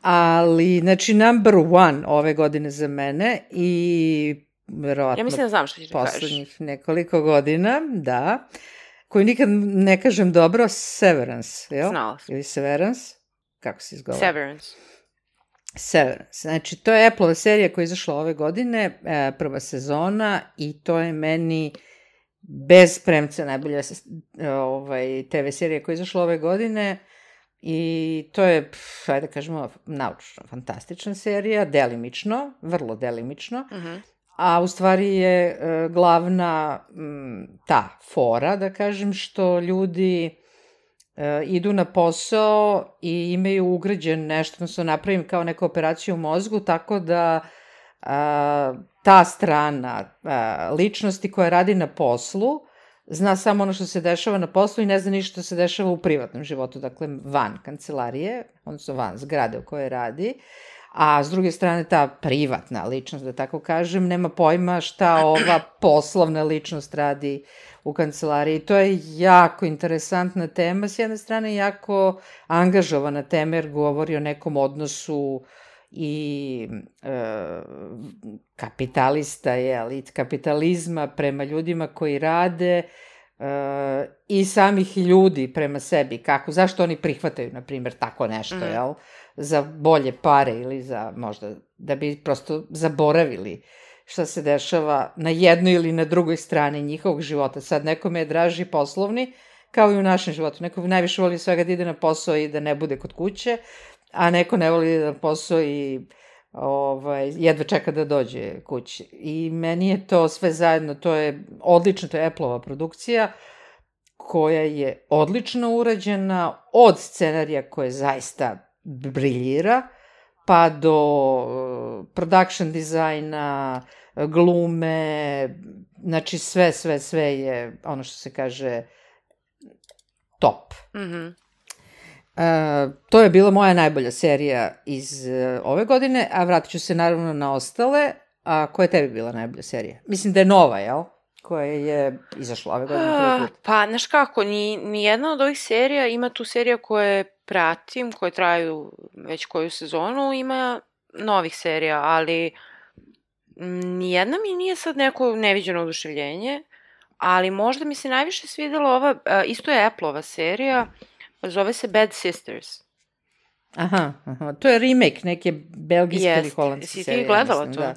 Ali, znači, number one ove godine za mene i verovatno ja mislim da znam što ćeš da kažeš. Poslednjih nekoliko godina, da, koju nikad ne kažem dobro, Severance, jel? Znala sam. Ili Severance, kako se izgovara? Severance. Znači, to je Apple serija koja je izašla ove godine, prva sezona, i to je meni bez premca najbolja TV serija koja je izašla ove godine. I to je, ajde kažemo, naučno fantastična serija, delimično, vrlo delimično, a u stvari je glavna ta fora, da kažem, što ljudi idu na posao i imaju ugrađen nešto, odnosno napravim kao neku operaciju u mozgu, tako da ta strana ličnosti koja radi na poslu zna samo ono što se dešava na poslu i ne zna ništa što se dešava u privatnom životu, dakle van kancelarije, odnosno van zgrade u kojoj radi, a s druge strane ta privatna ličnost, da tako kažem, nema pojma šta ova poslovna ličnost radi u kancelariji. To je jako interesantna tema, s jedne strane jako angažovana tema jer govori o nekom odnosu i kapitalista, kapitalizma prema ljudima koji rade i samih ljudi prema sebi, zašto oni prihvataju, na primjer, tako nešto, jel? Za bolje pare ili za možda da bi prosto zaboravili šta se dešava na jednoj ili na drugoj strani njihovog života. Sad, nekome je draži poslovni, kao i u našem životu. Neko najviše voli svega da ide na posao i da ne bude kod kuće, a neko ne voli da ide na posao i jedva čeka da dođe kući. I meni je to sve zajedno, to je odlično, to je Apple-ova produkcija, koja je odlično urađena, od scenarija koje zaista briljira, pa do production dizajna, glume, znači sve je, ono što se kaže, top. To je bila moja najbolja serija iz ove godine, a vratit ću se naravno na ostale. A koja je tebi bila najbolja serija? Mislim da je nova, jel? Koja je izašla ove godine. Pa, znaš kako, ni jedna od ovih serija, ima tu serija koje pratim, koje traju već koju sezonu, ima novih serija, ali Nijedna mi nije sad neko neviđeno oduševljenje, ali možda mi se najviše svidela ova, isto je Apple-ova serija, zove se Bad Sisters. Aha, to je remake neke belgijske ili holandske serije. serije. Si ti gledala mislim, to? Da.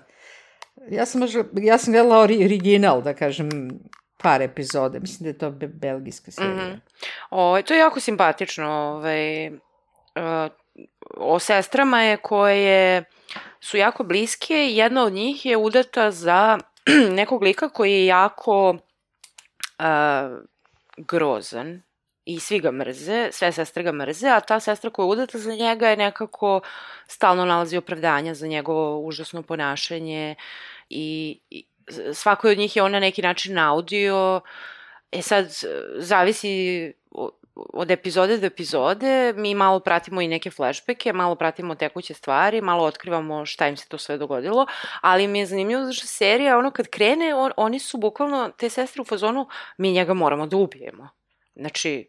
Ja sam gledala original, da kažem, par epizode. Mislim da je to belgijska serija. To je jako simpatično. O sestrama je koje su jako bliske. Jedna od njih je udata za nekog lika koji je jako grozan i svi ga mrze, sve sestre ga mrze, a ta sestra koja je udata za njega je nekako stalno nalazi opravdanja za njegovo užasno ponašanje i svakoj od njih je on na neki način naudio. Sad, zavisi od epizode do epizode, mi malo pratimo i neke flashbacke, malo pratimo tekuće stvari, malo otkrivamo šta im se to sve dogodilo, ali mi je zanimljivo zašto serija, ono kad krene, oni su bukvalno, te sestre u fazonu, mi njega moramo da ubijemo. Znači,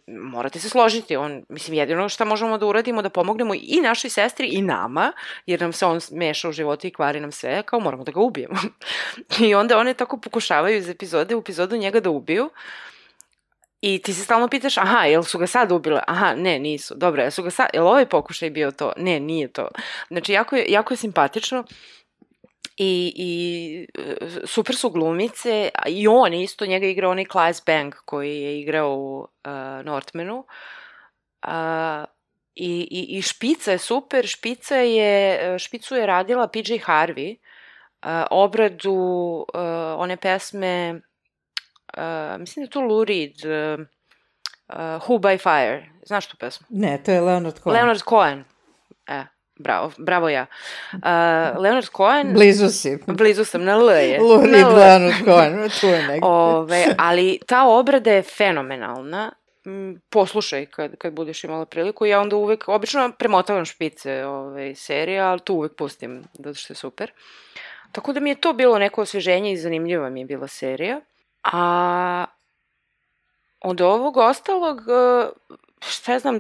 morate se složiti, mislim, jedino šta možemo da uradimo, da pomognemo i našoj sestri i nama, jer nam se on meša u životu i kvari nam sve, kao moramo da ga ubijemo. I onda one tako pokušavaju iz epizode u epizodu njega da ubiju, i ti se stalno pitaš, aha, jel su ga sad ubile? Aha, ne, nisu. Dobro, jel ovaj pokušaj bio to? Ne, nije to. Znači, jako je simpatično i super su glumice, i on isto, njega igra onaj Claes Bang koji je igrao u Northmanu. I špica je super, špicu je radila PJ Harvey, obradu one pesme, mislim da je to Lou Reed, Who by Fire. Znaš tu pesmu? Ne, to je Leonard Cohen. Leonard Cohen. Bravo ja. Leonard Cohen... Blizu sam, na L je. Lou Reed, Leonard Cohen, tu je negdje. Ali ta obrada je fenomenalna. Poslušaj kad budeš imala priliku. Ja onda uvek, obično premotavam špice serije, ali tu uvek pustim, zato što je super. Tako da mi je to bilo neko osveženje i zanimljiva mi je bila serija. A od ovog ostalog, šta ja znam,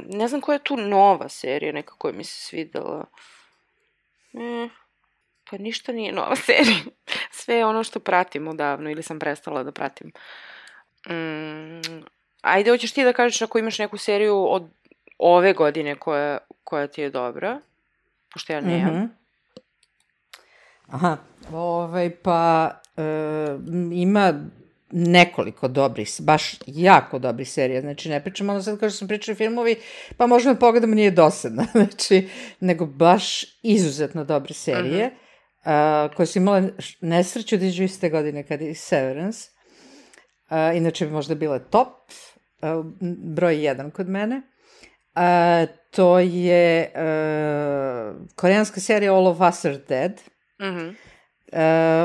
ne znam koja je tu nova serija, neka koja mi se svidela. Pa ništa nije nova serija. Sve je ono što pratim odavno ili sam prestala da pratim. Ajde, hoćeš ti da kažeš ako imaš neku seriju od ove godine koja ti je dobra, pošto ja nemam. Aha, pa ima nekoliko dobrih, baš jako dobrih serija, znači ne pričamo ono sad kao što sam pričala filmovi, pa možemo pogledamo nije dosadno, znači, nego baš izuzetno dobre serije, koje su imale nesreću da iđu iste godine kad je Severance, inače bi možda bile top, broj 1 kod mene. To je koreanska serija All of Us Are Dead.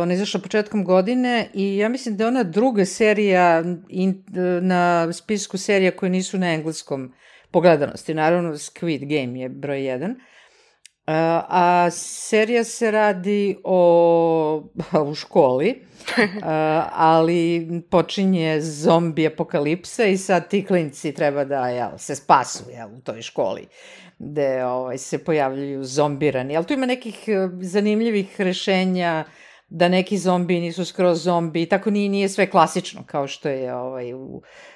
Ona je izašla početkom godine i ja mislim da je ona druga serija na spisku serija koje nisu na engleskom po gledanosti. Naravno, Squid Game je broj 1. A serija se radi u školi, ali počinje zombi apokalipsa i sad ti klinci treba da se spasu u toj školi gde se pojavljaju zombirani. Ali tu ima nekih zanimljivih rešenja da neki zombi nisu skroz zombi, tako nije sve klasično kao što je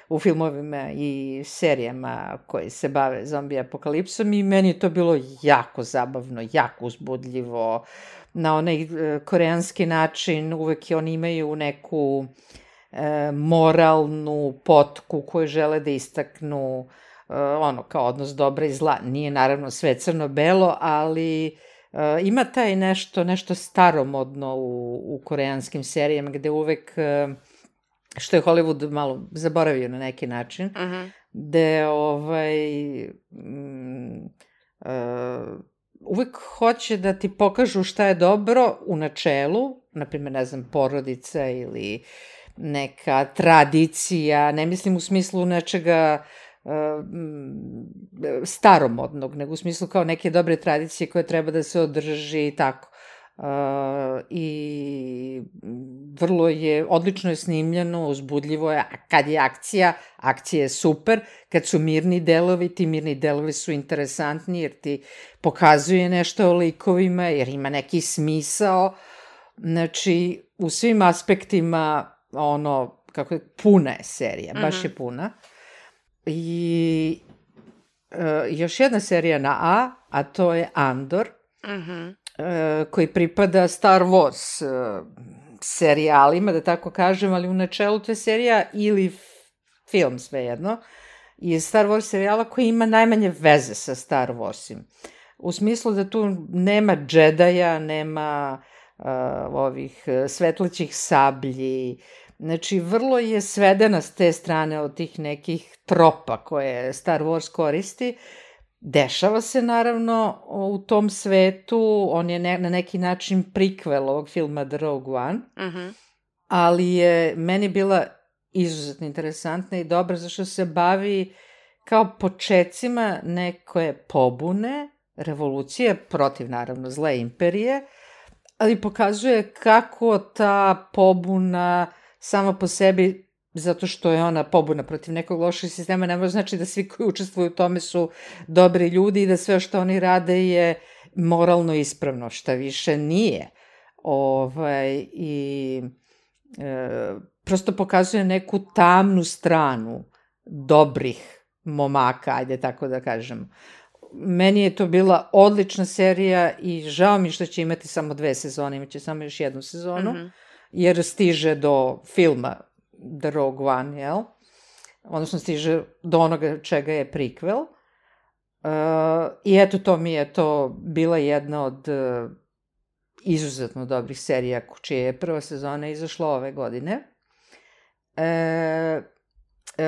u filmovima i serijama koji se bave zombi apokalipsom i meni je to bilo jako zabavno, jako uzbudljivo, na onaj koreanski način, uvek oni imaju neku moralnu potku koju žele da istaknu, kao odnos dobra i zla. Nije naravno sve crno-belo, ali ima taj nešto staromodno u koreanskim serijama gde uvek, što je Hollywood malo zaboravio na neki način, gde uvek hoće da ti pokažu šta je dobro u načelu, naprimjer, ne znam, porodica ili neka tradicija, ne mislim u smislu nečega staromodnog, nego u smislu kao neke dobre tradicije koje treba da se održi i tako. i vrlo je, odlično je snimljeno, uzbudljivo je, a kad je akcija je super, kad su mirni delovi, ti mirni delovi su interesantni jer ti pokazuje nešto o likovima, jer ima neki smisao, znači u svim aspektima kako je, puna je serija, baš je puna. I još jedna serija na a to je Andor, koji pripada Star Wars serijalima, da tako kažem, ali u načelu to je serija ili film, svejedno, je Star Wars serijala koji ima najmanje veze sa Star Warsim. U smislu da tu nema džedaja, nema ovih svetlećih sablji, znači vrlo je svedena s te strane od tih nekih tropa koje Star Wars koristi. Dešava se naravno u tom svetu, on je na neki način prikvel ovog filma The Rogue One, ali je meni bila izuzetno interesantna i dobra zašto se bavi kao počecima neke pobune, revolucije, protiv naravno zle imperije, ali pokazuje kako ta pobuna sama po sebi, zato što je ona pobuna protiv nekog lošeg sistema, ne može znači da svi koji učestvuju u tome su dobri ljudi i da sve što oni rade je moralno ispravno, šta više nije. Prosto pokazuje neku tamnu stranu dobrih momaka, ajde tako da kažem. Meni je to bila odlična serija i žao mi što će imati samo 2 sezone, imaće samo još 1 sezonu, jer stiže do filma The Rogue One, jel? Odnosno stiže do onoga čega je prequel. I eto, to mi je to bila jedna od izuzetno dobrih serija, čija je prva sezona izašla ove godine.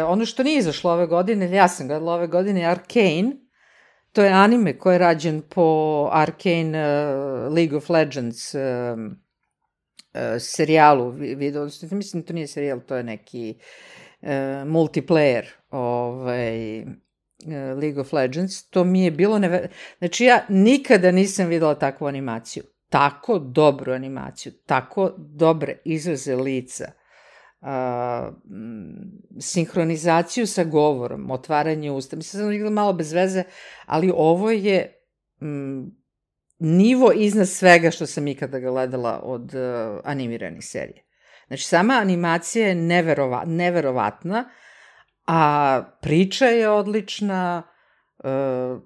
Ono što nije izašlo ove godine, ja sam gledala ove godine, je Arcane. To je anime koji je rađen po Arcane League of Legends serijalu, mislim to nije serijal, to je neki multiplayer League of Legends, to mi je bilo znači ja nikada nisam videla takvu animaciju, tako dobru animaciju, tako dobre izraze lica, sinhronizaciju sa govorom, otvaranje usta, mislim sam igrala malo bez veze, ali ovo je nivo iznad svega što sam ikada gledala od animiranih serija. Znači, sama animacija je neverovatna, a priča je odlična,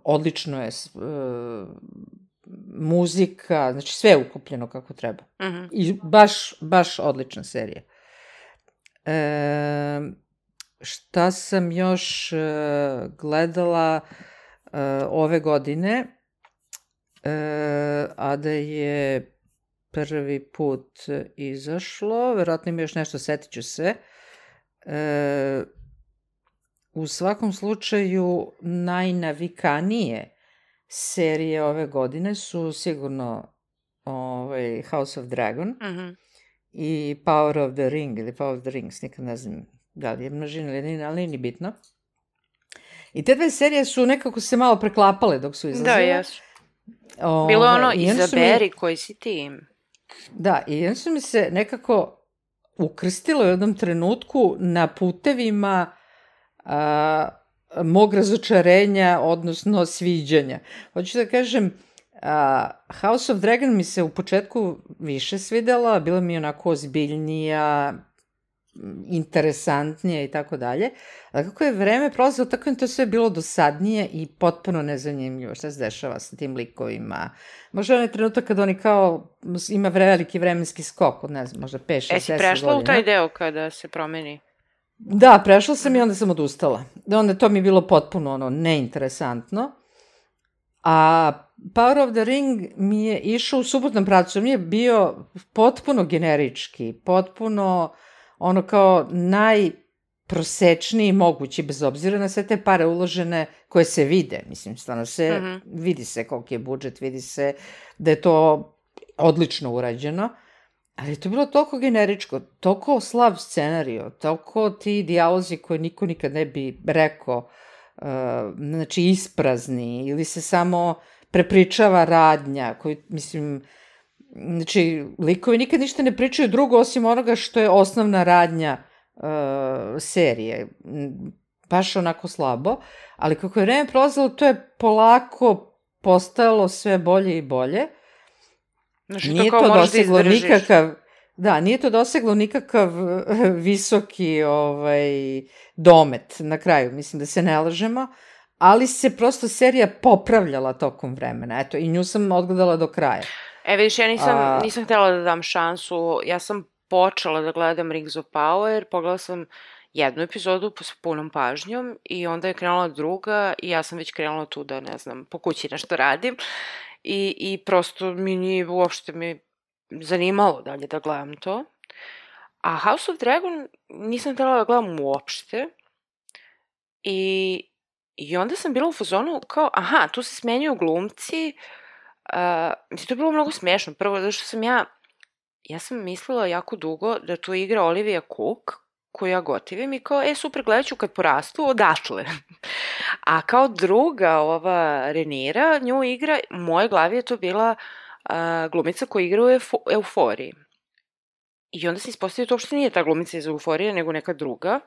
odlično je muzika, znači sve je ukupljeno kako treba. I baš odlična serija. Šta sam još gledala ove godine, a da je prvi put izašlo, verovatno ima još nešto, setit ću se. U svakom slučaju, najnavikanije serije ove godine su sigurno House of Dragon i Power of the Ring, ili Power of the Rings, nikad ne znam da li je množina ili nije, ali nije bitno. I te 2 serije su nekako se malo preklapale dok su izlazile. Da, jesu. Bilo je izaberi koji si ti. Da, i onda su mi se nekako ukrstilo u jednom trenutku na putevima mog razočarenja, odnosno sviđanja. Hoću da kažem, House of Dragon mi se u početku više svidela, bila mi onako ozbiljnija, interesantnije i tako dalje. Ali kako je vreme prolazilo, tako je to sve bilo dosadnije i potpuno nezanimljivo šta se dešava sa tim likovima. Možda onaj trenutak kad oni kao ima veliki vremenski skok od, ne znam, možda 5-6-10 godina. Jesi prešla u taj deo kada se promeni? Da, prešla sam i onda sam odustala. Onda to mi je bilo potpuno neinteresantno. A Power of the Ring mi je išao u suprotnom pravcu. Mi je bio potpuno generički, potpuno kao najprosečniji mogući, bez obzira na sve te pare uložene koje se vide. Mislim, stvarno vidi se koliki je budžet, vidi se da je to odlično urađeno. Ali je to bilo toliko generičko, toliko slab scenario, toliko ti dijalozi koje niko nikad ne bi rekao, znači isprazni, ili se samo prepričava radnja, koji, mislim, Znači, likovi nikad ništa ne pričaju drugo osim onoga što je osnovna radnja serije. Baš onako slabo, ali kako je vreme prolazilo, to je polako postajalo sve bolje i bolje. Znači, Nije to to moraš da doseglo izdržiš. nikakav... Da, nije to doseglo nikakav visoki domet na kraju, mislim da se ne lažemo, ali se prosto serija popravljala tokom vremena, eto, i nju sam odgledala do kraja. Vidiš, ja nisam htjela da dam šansu, ja sam počela da gledam Rings of Power, pogledala sam jednu epizodu s punom pažnjom i onda je krenula druga i ja sam već krenula tu da, ne znam, po kući nešto radim i prosto mi nije uopšte zanimalo dalje da gledam to. A House of Dragon nisam htjela da gledam uopšte i onda sam bila u fazonu kao, aha, tu se smenjuju glumci. Mislim, to je bilo mnogo smešno. Prvo, zato što sam ja sam mislila jako dugo da tu igra Olivia Cook, koju ja gotivim i kao, super, gledat ću kad porastu, odatle. A kao druga, ova Renira, nju igra, u mojoj glavi je to bila glumica koja igra u Euforiji. I onda se ispostavio to uopšte nije ta glumica iz Euforije, nego neka druga,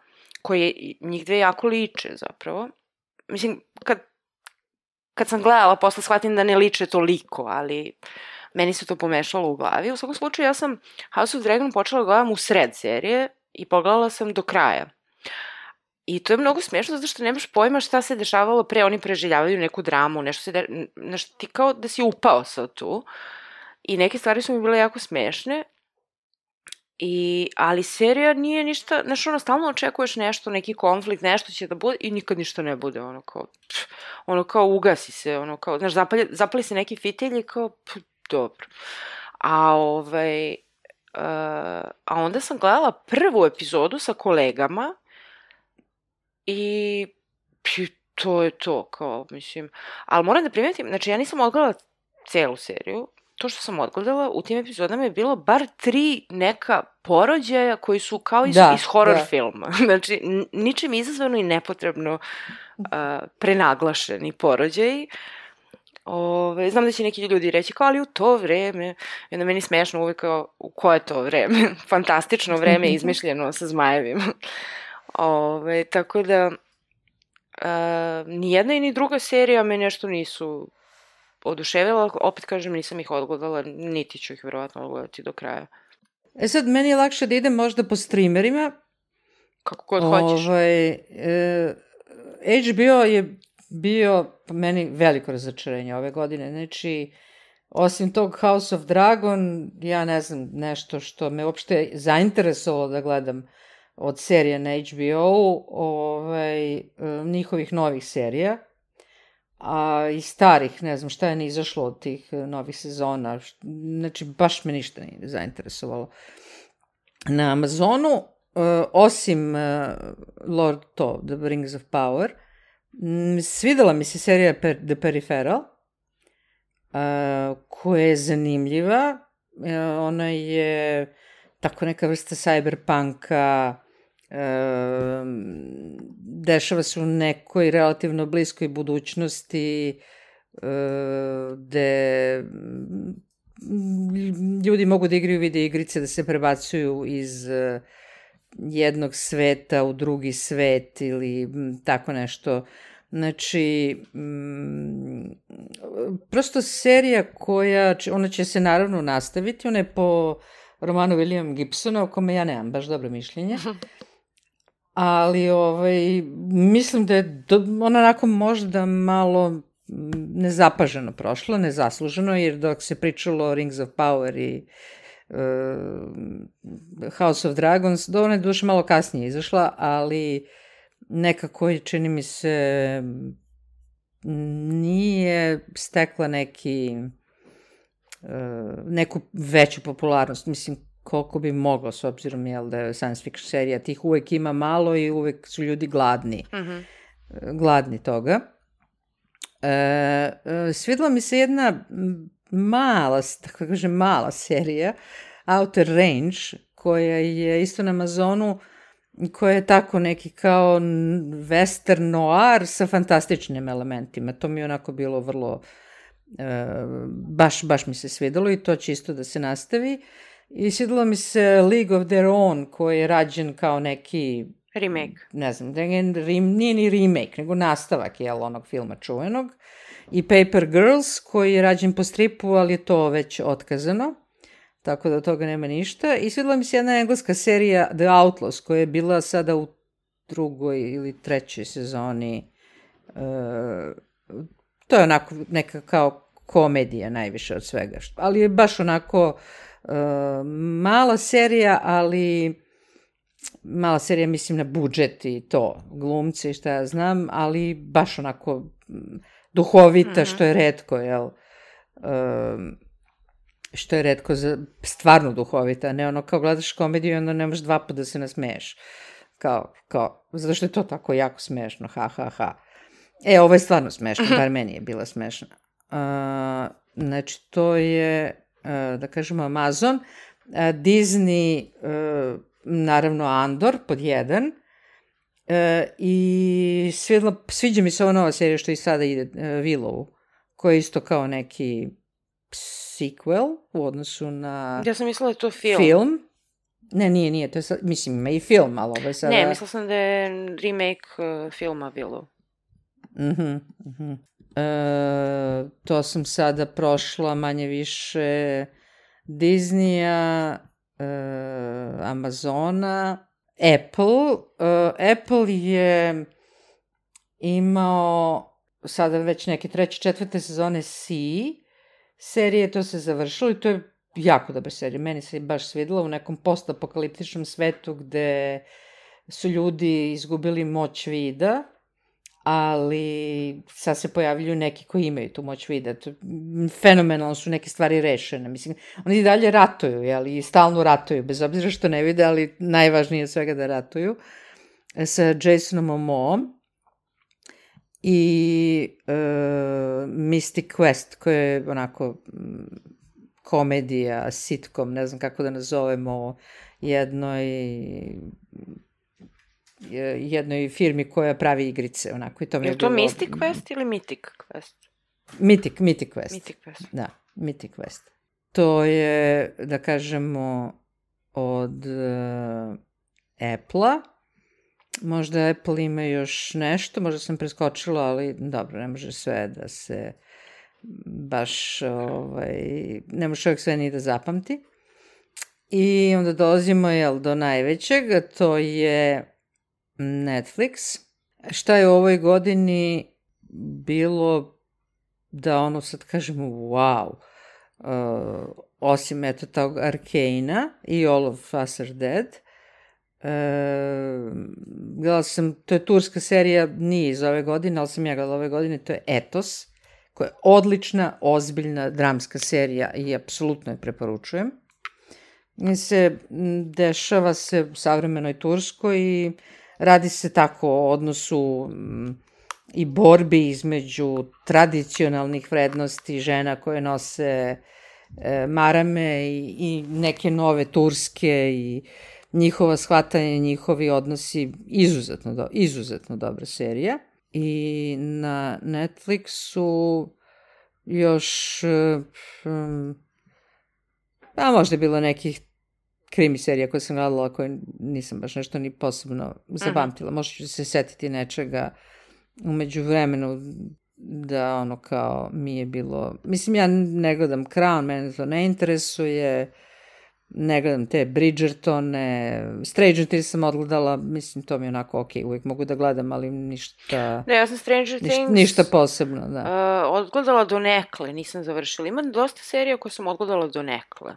koja njih dve jako liče zapravo. Mislim, kad sam gledala, posle shvatim da ne liče toliko, ali meni se to pomešalo u glavi. U svakom slučaju, ja sam House of Dragon počela gledam u sred serije i pogledala sam do kraja. I to je mnogo smiješno, zato što nemaš pojma šta se dešavalo pre, oni preživljavaju neku dramu, nešto ti kao da si upao sad tu. I neke stvari su mi bile jako smešne, ali serija nije ništa, znaš, stalno očekuješ nešto, neki konflikt, nešto će da bude i nikad ništa ne bude, kao ugasi se, znaš, zapali se neki fitilj i kao, dobro. A onda sam gledala prvu epizodu sa kolegama i to je to, kao, mislim, ali moram da primetim, znači, ja nisam odgledala celu seriju. To što sam odgledala, u tim epizodama je bilo bar 3 neka porođaja koji su kao iz horror filma. Znači, ničim izazvano i nepotrebno prenaglašeni porođaji. Znam da će neki ljudi reći kao, ali u to vreme, i onda meni smešno uvijek kao, u koje to vreme? Fantastično vreme izmišljeno sa zmajevima. Tako da, ni jedna i ni druga serija me nešto nisu oduševila, opet kažem, nisam ih odgledala, niti ću ih verovatno odgledati do kraja. Sad, meni je lakše da idem možda po streamerima. Kako god hoćeš. HBO je bio po meni veliko razočarenje ove godine. Znači, osim tog House of Dragon, ja ne znam, nešto što me uopšte zainteresovalo da gledam od serije na HBO-u, njihovih novih serija. A i starih, ne znam šta je ne izašlo od tih novih sezona, znači baš me ništa nije zainteresovalo. Na Amazonu, osim The Rings of Power, svidela mi se serija The Peripheral, koja je zanimljiva, ona je tako neka vrsta cyberpunka, dešava se u nekoj relativno bliskoj budućnosti gde ljudi mogu da igraju video igrice, da se prebacuju iz jednog sveta u drugi svet ili tako nešto. Znači, prosto serija ona će se naravno nastaviti, ona je po romanu William Gibsona, o kome ja nemam baš dobro mišljenje. Ali mislim da je ona onako možda malo nezapaženo prošla, nezasluženo, jer dok se pričalo o Rings of Power i House of Dragons, ona je duše malo kasnije izašla, ali nekako čini mi se nije stekla neku veću popularnost, mislim, koliko bi moglo, s obzirom da je science fiction serija, tih uvek ima malo i uvek su ljudi gladni. Gladni toga. Svidela mi se jedna mala serija, Outer Range, koja je isto na Amazonu, koja je tako neki kao western noir sa fantastičnim elementima. To mi je onako bilo vrlo Baš mi se svidelo i to će isto da se nastavi. I svidelo mi se League of Their Own, koji je rađen kao neki... Remake. Ne znam, nije ni remake, nego nastavak, onog filma čuvenog. I Paper Girls, koji je rađen po stripu, ali je to već otkazano. Tako da od toga nema ništa. I svidela mi se jedna engleska serija The Outlaws, koja je bila sada u 2. ili 3. sezoni. To je onako neka kao komedija najviše od svega. Ali je baš onako mala serija, ali mala serija mislim na budžet i to, glumci i šta ja znam, ali baš onako duhovita, što je retko, jel? Što je retko, stvarno duhovita, ne ono kao gledaš komediju i onda nemaš 2 puta da se nasmeješ. Kao, zato što je to tako jako smešno, ha. Ovo je stvarno smešno, bar meni je bila smešna. Znači, to je, da kažemo, Amazon, Disney, naravno Andor, pod 1, i sviđa mi se ova nova serija što i sada ide, Willow, koja je isto kao neki sequel u odnosu na... Ja sam mislila da je to film. Film. Ne, nije, to je sad, mislim, ima i film, ali ovo je sada... Ne, mislila sam da je remake filma Willow. To sam sada prošla manje više Disneya, Amazona, Apple. Apple je imao sada već neke 3. 4. sezone serije, to se završilo i to je jako dobra serija. Meni se baš svidela u nekom postapokaliptičnom svetu gde su ljudi izgubili moć vida, ali sad se pojavljuju neki koji imaju tu moć vida. Fenomenalno su neke stvari rešene. Mislim, oni i dalje ratuju, ali i stalno ratuju, bez obzira što ne vide, ali najvažnije od svega da ratuju. Sa Jasonom Momoom i Mystic Quest, koja je onako komedija, sitcom, ne znam kako da nazovemo, jednoj firmi koja pravi igrice, onako. Je to Mystic Quest ili Mythic Quest? Mythic Quest. Mythic Quest. Da, Mythic Quest. To je, da kažemo, od Apple-a. Možda Apple ima još nešto, možda sam preskočila, ali dobro, ne može sve da se baš, ne može čovjek sve ni da zapamti. I onda dolazimo, do najvećeg, to je Netflix. Šta je u ovoj godini bilo da sad kažemo wow, osim tog Arcane-a i All of Us Are Dead. Gledala sam, to je turska serija, nije iz ove godine, ali sam ja gledala ove godine, to je Etos, koja je odlična, ozbiljna dramska serija i apsolutno je preporučujem. Dešava se u savremenoj Turskoj i radi se tako o odnosu i borbi između tradicionalnih vrednosti žena koje nose marame i neke nove turske i njihova shvatanje, njihovi odnosi, izuzetno dobra serija. I na Netflixu još, možda je bilo nekih krimi serija koje sam gledala, koje nisam baš nešto ni posebno zapamtila. Možda ću se setiti nečega u međuvremenu da kao mi je bilo... Mislim, ja ne gledam Crown, mene to ne interesuje, ne gledam te Bridgertone, Stranger Things sam odgledala, mislim, to mi je onako okej, uvijek mogu da gledam, ali ništa... Ne, ja sam Stranger Things... Ništa posebno, da. Odgledala donekle, nisam završila. Ima dosta serija koje sam odgledala donekle.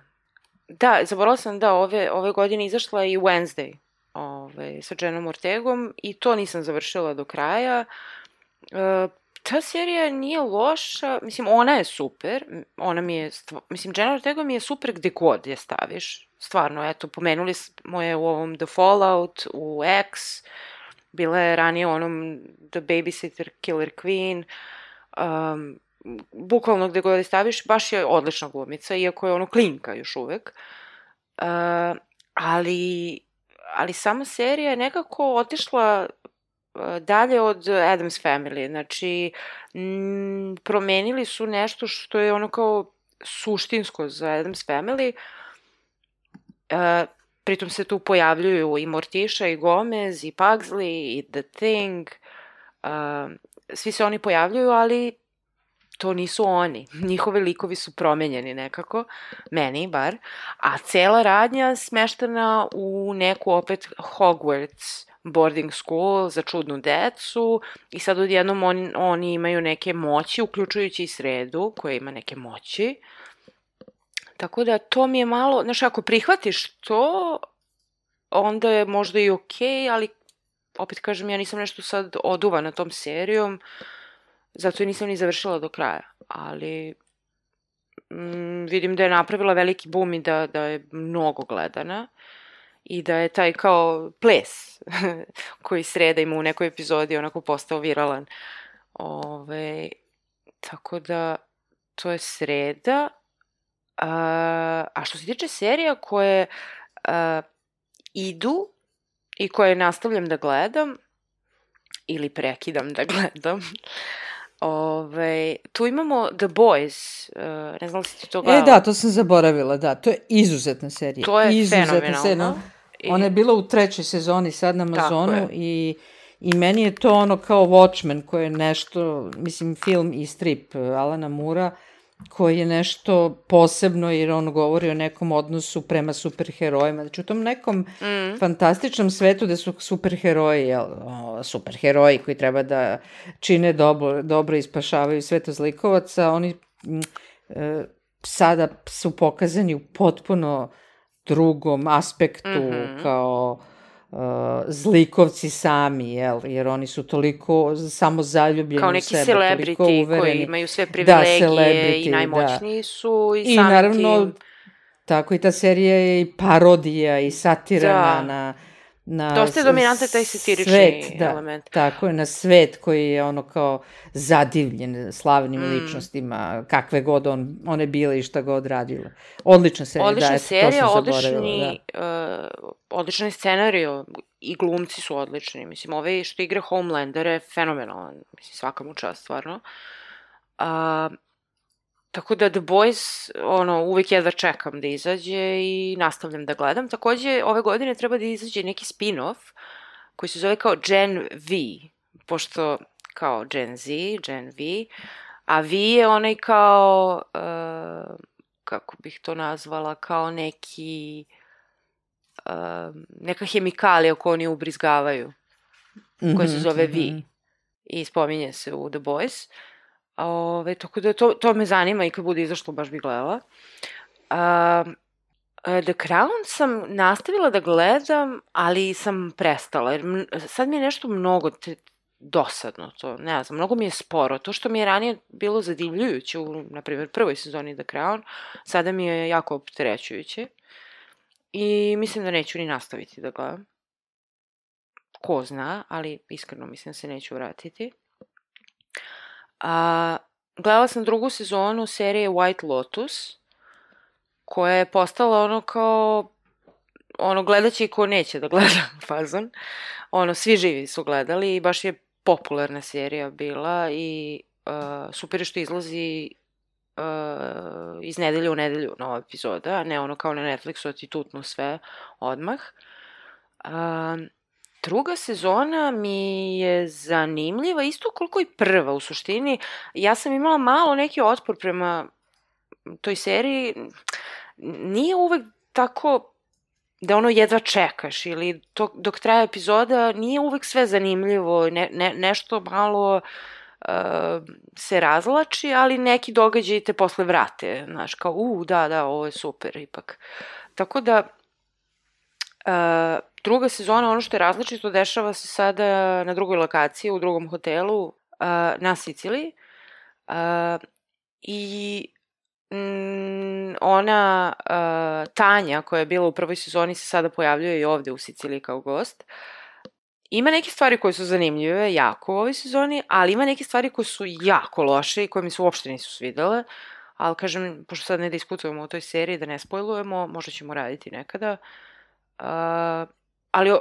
Da, zaboravila sam da ove godine izašla i Wednesday sa Jennom Ortegom i to nisam završila do kraja. Ta serija nije loša, mislim, ona je super, Jenna Ortega mi je super gde god je staviš, stvarno, pomenuli smo je u ovom The Fallout, u X, bila je ranije u onom The Babysitter Killer Queen, bukvalno gde god je staviš, baš je odlična glumica, iako je klinka još uvek, ali sama serija je nekako otišla dalje od Addams Family. Znači, promenili su nešto što je ono kao suštinsko za Addams Family. Pritom se tu pojavljuju i Morticia, i Gomez, i Pugsley, i The Thing. Svi se oni pojavljuju, ali to nisu oni. Njihove likovi su promenjeni nekako, meni bar. A cela radnja smeštena u neku opet Hogwarts boarding school za čudnu decu i sad odjednom oni imaju neke moći, uključujući i Sredu koja ima neke moći. Tako da to mi je malo, znaš, ako prihvatiš to, onda je možda i okej, ali opet kažem, ja nisam nešto sad oduvana tom serijom, zato je nisam ni završila do kraja, ali vidim da je napravila veliki boom i da je mnogo gledana i da je taj kao ples koji Sreda ima u nekoj epizodi onako postao viralan. Tako da to je Sreda. A što se tiče serija koje idu i koje nastavljam da gledam ili prekidam da gledam, tu imamo The Boys, ne znam li si ti to gledala? Da, to sam zaboravila, da, to je izuzetna serija. To je fenomenalno. Ona je bila u 3. sezoni sad na Amazonu i meni je to ono kao Watchmen koji je nešto, mislim film i strip Alana Moorea, koji je nešto posebno jer on govori o nekom odnosu prema superherojima. Znači u tom nekom fantastičnom svetu gde su superheroji koji treba da čine dobro i spašavaju sveto zlikovaca, oni sada su pokazani u potpuno drugom aspektu kao zlikovci sami, jer oni su toliko samo zaljubljeni u sebe, toliko uvereni. Kao neki celebrity koji imaju sve privilegije i najmoćniji su i samim naravno, tako i ta serija je i parodija i satira na dosta je dominantan taj satirični element. Tako je, na svet koji je ono kao zadivljen slavnim ličnostima, kakve god one bile i šta god radile. Odlična serija, odlična serija, odličan scenario i glumci su odlični. Mislim, ovaj što igra Homelandera je fenomenalan. Mislim, svaka mu čast, stvarno. Tako da The Boys, uvek jedva čekam da izađe i nastavljam da gledam. Takođe, ove godine treba da izađe neki spin-off koji se zove kao Gen V, pošto kao Gen Z, Gen V, a V je onaj kao, kako bih to nazvala, kao neka hemikalija koju oni ubrizgavaju, koja se zove V i spominje se u The Boys. Tako da to me zanima i kad bude izašlo baš bih gledala. The Crown sam nastavila da gledam, ali sam prestala, jer sad mi je nešto mnogo dosadno to, ne znam, mnogo mi je sporo. To što mi je ranije bilo zadivljujuće u, na primjer, prvoj sezoni The Crown, sada mi je jako opterećujuće i mislim da neću ni nastaviti da gledam. Ko zna, ali iskreno mislim da se neću vratiti. Gledala sam 2. sezonu serije White Lotus, koja je postala ono kao, gledaće i ko neće da gleda fazon. Svi živi su gledali i baš je popularna serija bila i super je što izlazi iz nedelje u nedelju nova epizoda, a ne kao na Netflixu, da ti tutnu sve odmah. 2. sezona mi je zanimljiva, isto koliko i prva u suštini. Ja sam imala malo neki otpor prema toj seriji. Nije uvek tako da jedva čekaš ili dok traje epizoda nije uvek sve zanimljivo, nešto malo se razlači, ali neki događaji te posle vrate, znaš, kao da, ovo je super ipak. Tako da 2. sezona, ono što je različito, dešava se sada na drugoj lokaciji, u drugom hotelu na Siciliji. I ona Tanja, koja je bila u prvoj sezoni, se sada pojavljuje i ovde u Siciliji kao gost. Ima neke stvari koje su zanimljive, jako u ovoj sezoni, ali ima neke stvari koje su jako loše i koje mi se uopšte nisu svidele. Ali, kažem, pošto sad ne diskutujemo o toj seriji, da ne spojlujemo, možda ćemo raditi nekada.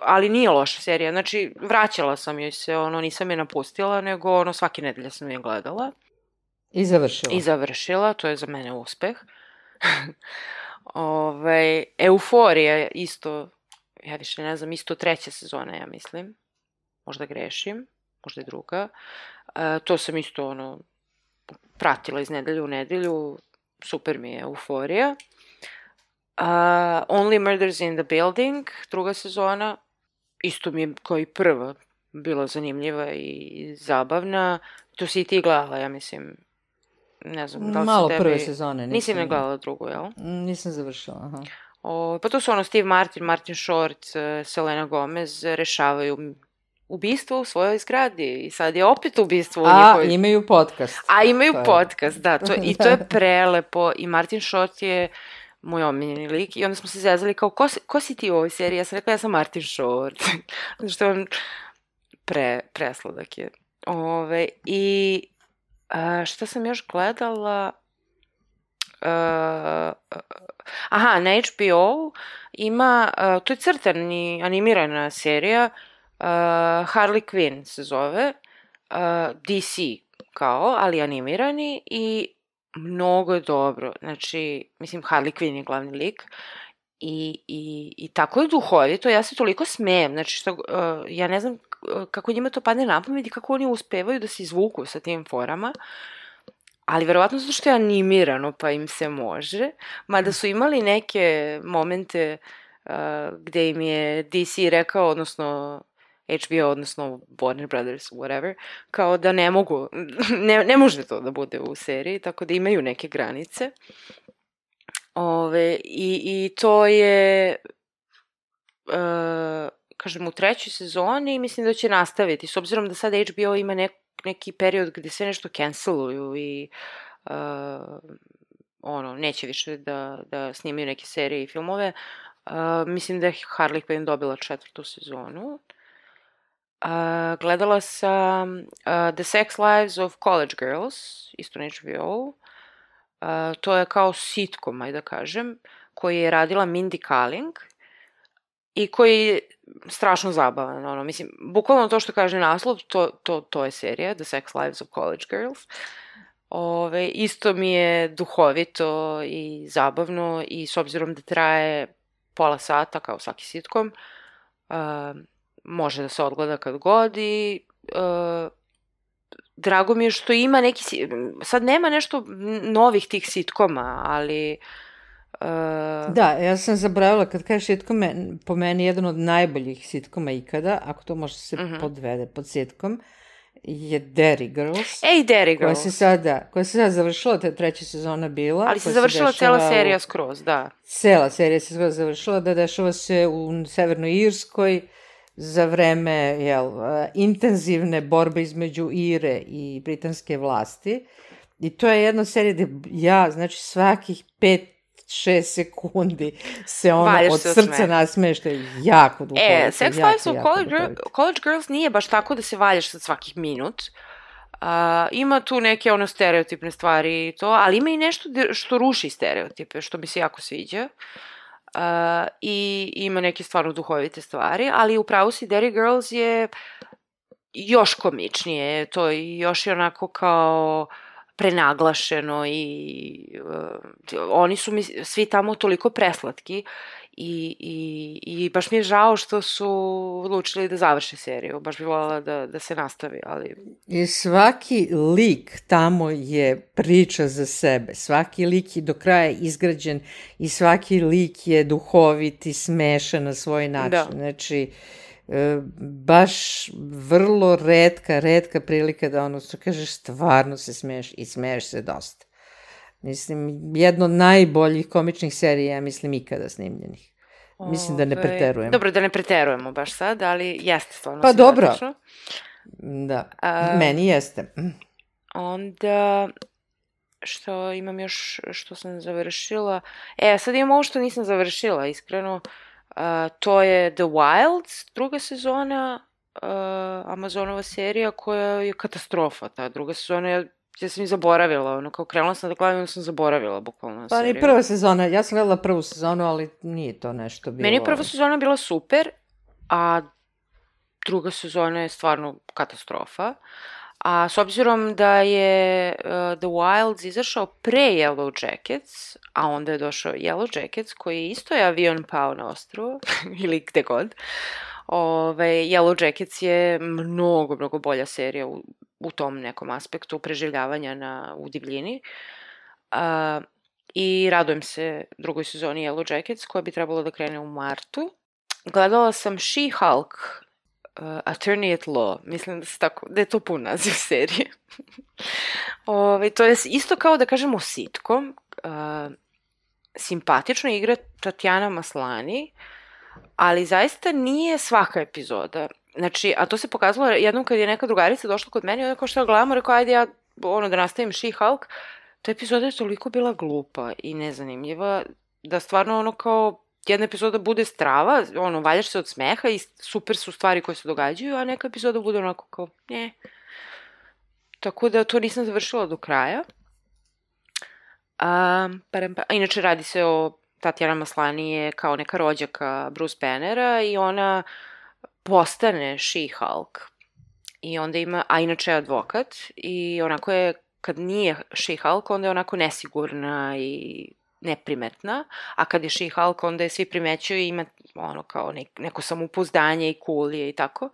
ali nije loša serija. Znači, vraćala sam joj se, nisam je napustila, nego svake nedelje sam je gledala. I završila. I završila, to je za mene uspeh. Euforija isto, ja više ne znam, isto 3. sezona, ja mislim. Možda grešim, možda je 2. To sam isto, pratila iz nedelje u nedelju. Super mi je Euforija. Only Murders in the Building, 2. sezona. Isto mi je kao i prva bila zanimljiva i zabavna. To si i ti gledala, ja mislim. Ne znam, da li malo tebi... prve sezone. Nisi ne gledala drugu, jel? Nisam završila, aha. Pa to su Steve Martin, Martin Short, Selena Gomez rešavaju ubistvo u svojoj zgradi i sad je opet ubistvo u njihovoj... imaju podcast. Imaju podcast, da. I to je prelepo i Martin Short je moj omiljeni lik i onda smo se zezali kao, ko si ti u ovoj seriji? Ja sam rekla, ja sam Martin Short. Što on presladak je. I šta sam još gledala? Na HBO ima, to je crtani animirana serija, Harley Quinn se zove, DC kao, ali animirani i mnogo je dobro. Znači, mislim, Harley Quinn je glavni lik i tako je duhovito, ja se toliko smejem, znači što, ja ne znam kako njima to padne na pamet i kako oni uspevaju da se izvuku sa tim forama, ali verovatno zato što je animirano pa im se može, mada su imali neke momente gde im je DC rekao, odnosno HBO, odnosno Warner Brothers, whatever, kao da ne mogu, ne može to da bude u seriji, tako da imaju neke granice. I to je, kažem, u 3. sezoni mislim da će nastaviti, s obzirom da sad HBO ima neki period gde sve nešto canceluju i neće više da snimaju neke serije i filmove. Mislim da je Harley Quinn dobila 4. sezonu. Gledala sam The Sex Lives of College Girls, isto na HBO. To je kao sitcom, ajde da kažem, koji je radila Mindy Kaling i koji je strašno zabavan. Mislim, bukvalno to što kaže naslov, to je serija, The Sex Lives of College Girls. Isto mi je duhovito i zabavno i s obzirom da traje pola sata, kao svaki sitcom, može da se odgleda kad god i drago mi je što ima neki, sad nema nešto novih tih sitkoma, ali... Da, ja sam zaboravila, kad kažeš sitkome, po meni jedan od najboljih sitkoma ikada, ako to može se podvede pod sitkom, je Derry Girls. Derry Girls. Koja se sad završila, ta 3. sezona bila. Ali se završila cela serija skroz, da. Cela serija se skroz završila, da dešava se u Severnoj Irskoj, za vreme intenzivne borbe između Ire i britanske vlasti. I to je jedna serija gde znači svakih 5-6 sekundi se od srca nasmeje, što je jako duhovito. Sex Lives of College Girls nije baš tako da se valjaš sad svakih minut. Ima tu neke stereotipne stvari i to, ali ima i nešto što ruši stereotipe, što mi se jako sviđa. I ima neke stvarno duhovite stvari, ali upravo si Derry Girls je još komičnije, to je još onako kao prenaglašeno i oni su svi tamo toliko preslatki i baš mi je žao što su odlučili da završe seriju, baš bi voljela da se nastavi, ali... I svaki lik tamo je priča za sebe, svaki lik je do kraja izgrađen i svaki lik je duhovit i smešan na svoj način, da. Znači... baš vrlo retka prilika da što kažeš stvarno se smeješ i smeješ se dosta. Mislim, jedno od najboljih komičnih serija, mislim, ikada snimljenih. Mislim da ne preterujemo. Dobro, da ne preterujemo baš sad, ali jeste stvarno. Pa dobro. Da, meni jeste. Onda, što imam još, što sam završila. Sad imam ovo što nisam završila, iskreno. To je The Wilds, 2. sezona, Amazonova serija koja je katastrofa. Ta 2. sezona, ja sam i zaboravila, kao krenula sam da gledam, onda sam zaboravila bukvalno seriju. Pa i 1. sezona, ja sam gledala 1. sezonu, ali nije to nešto bilo... Meni je 1. sezona bila super a druga sezona je stvarno katastrofa. A s obzirom da je The Wilds izašao pre Yellow Jackets, a onda je došao Yellow Jackets, koji isto je avion pao na ostrvo, ili gde god, Yellow Jackets je mnogo bolja serija u tom nekom aspektu preživljavanja u divljini. I radujem se drugoj sezoni Yellow Jackets, koja bi trebalo da krene u martu. Gledala sam She-Hulk, Attorney at Law, mislim da je to pun naziv serije. To je isto kao da kažemo sitcom, simpatično igra Tatjana Maslany, ali zaista nije svaka epizoda. Znači, a to se pokazalo jednom kad je neka drugarica došla kod mene i onda kao što gledamo, rekao, ajde ja da nastavim She-Hulk, ta epizoda je toliko bila glupa i nezanimljiva, da stvarno kao jedna epizoda bude strava, valjaš se od smeha i super su stvari koje se događaju, a neka epizoda bude onako kao, Tako da to nisam završila do kraja. Inače radi se o Tatjana Maslany je kao neka rođaka Bruce Bannera i ona postane She-Hulk. I onda a inače je advokat i onako je, kad nije She-Hulk, onda je onako nesigurna i neprimetna, a kad je She-Hulk, onda je svi primećuju i ima kao neko samopouzdanje i cool je i tako.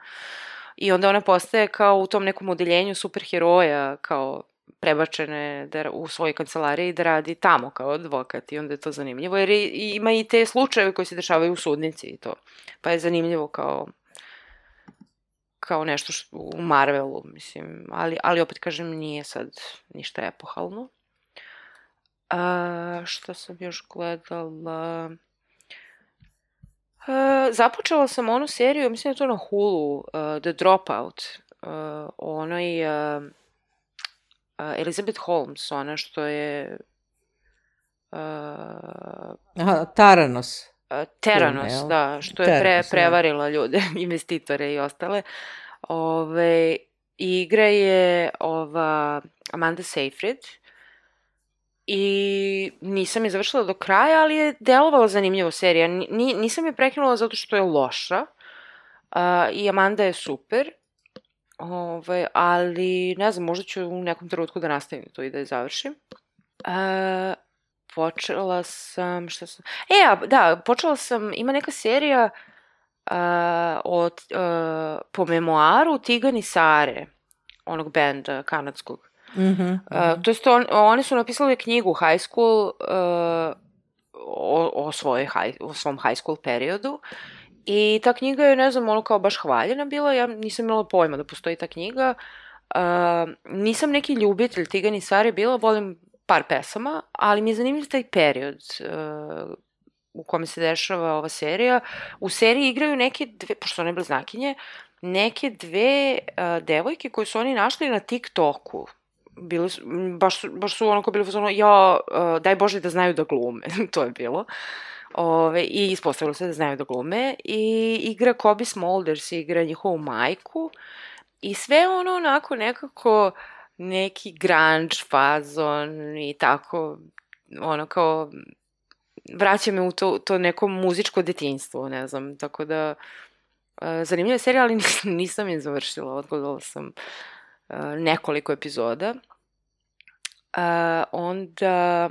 I onda ona postaje kao u tom nekom odeljenju superheroja, kao prebačene u svojoj kancelariji da radi tamo kao advokat i onda je to zanimljivo, jer ima i te slučajeve koji se dešavaju u sudnici i to. Pa je zanimljivo kao nešto u Marvelu, mislim, ali opet kažem, nije sad ništa epohalno. Šta sam još gledala? Započela sam onu seriju, mislim da je to na Hulu, The Dropout, onoj Elizabeth Holmes, ona što je... Theranos. Theranos, da, što je prevarila ljude, investitore i ostale. Igra je Amanda Seyfried i nisam je završila do kraja, ali je delovala zanimljivo serija. Nisam je prekinula zato što je loša i Amanda je super, ali ne znam, možda ću u nekom trenutku da nastavim to i da je završim. Počela sam, počela sam, ima neka serija po memoaru Tigan i Sare, onog benda kanadskog. To jest, oni su napisali knjigu High School o svom high school periodu i ta knjiga je, ne znam, kao baš hvaljena bila, ja nisam imala pojma da postoji ta knjiga. Nisam neki ljubitelj Tigan i Sare bila, volim par pesama, ali mi je zanimljiv taj period u kome se dešava ova serija. U seriji igraju neke dve, pošto one bliznakinje, neke dve devojke koje su oni našli na TikToku. Baš su onako bili fazonu, daj Bože da znaju da glume, to je bilo. I ispostavilo se da znaju da glume. I igra Cobie Smulders, igra njihovu majku. I sve onako nekako neki grunge fazon i tako, kao vraća me u to neko muzičko detinjstvo, ne znam, tako da zanimljiva serija, ali nisam je završila, odgledala sam nekoliko epizoda. Onda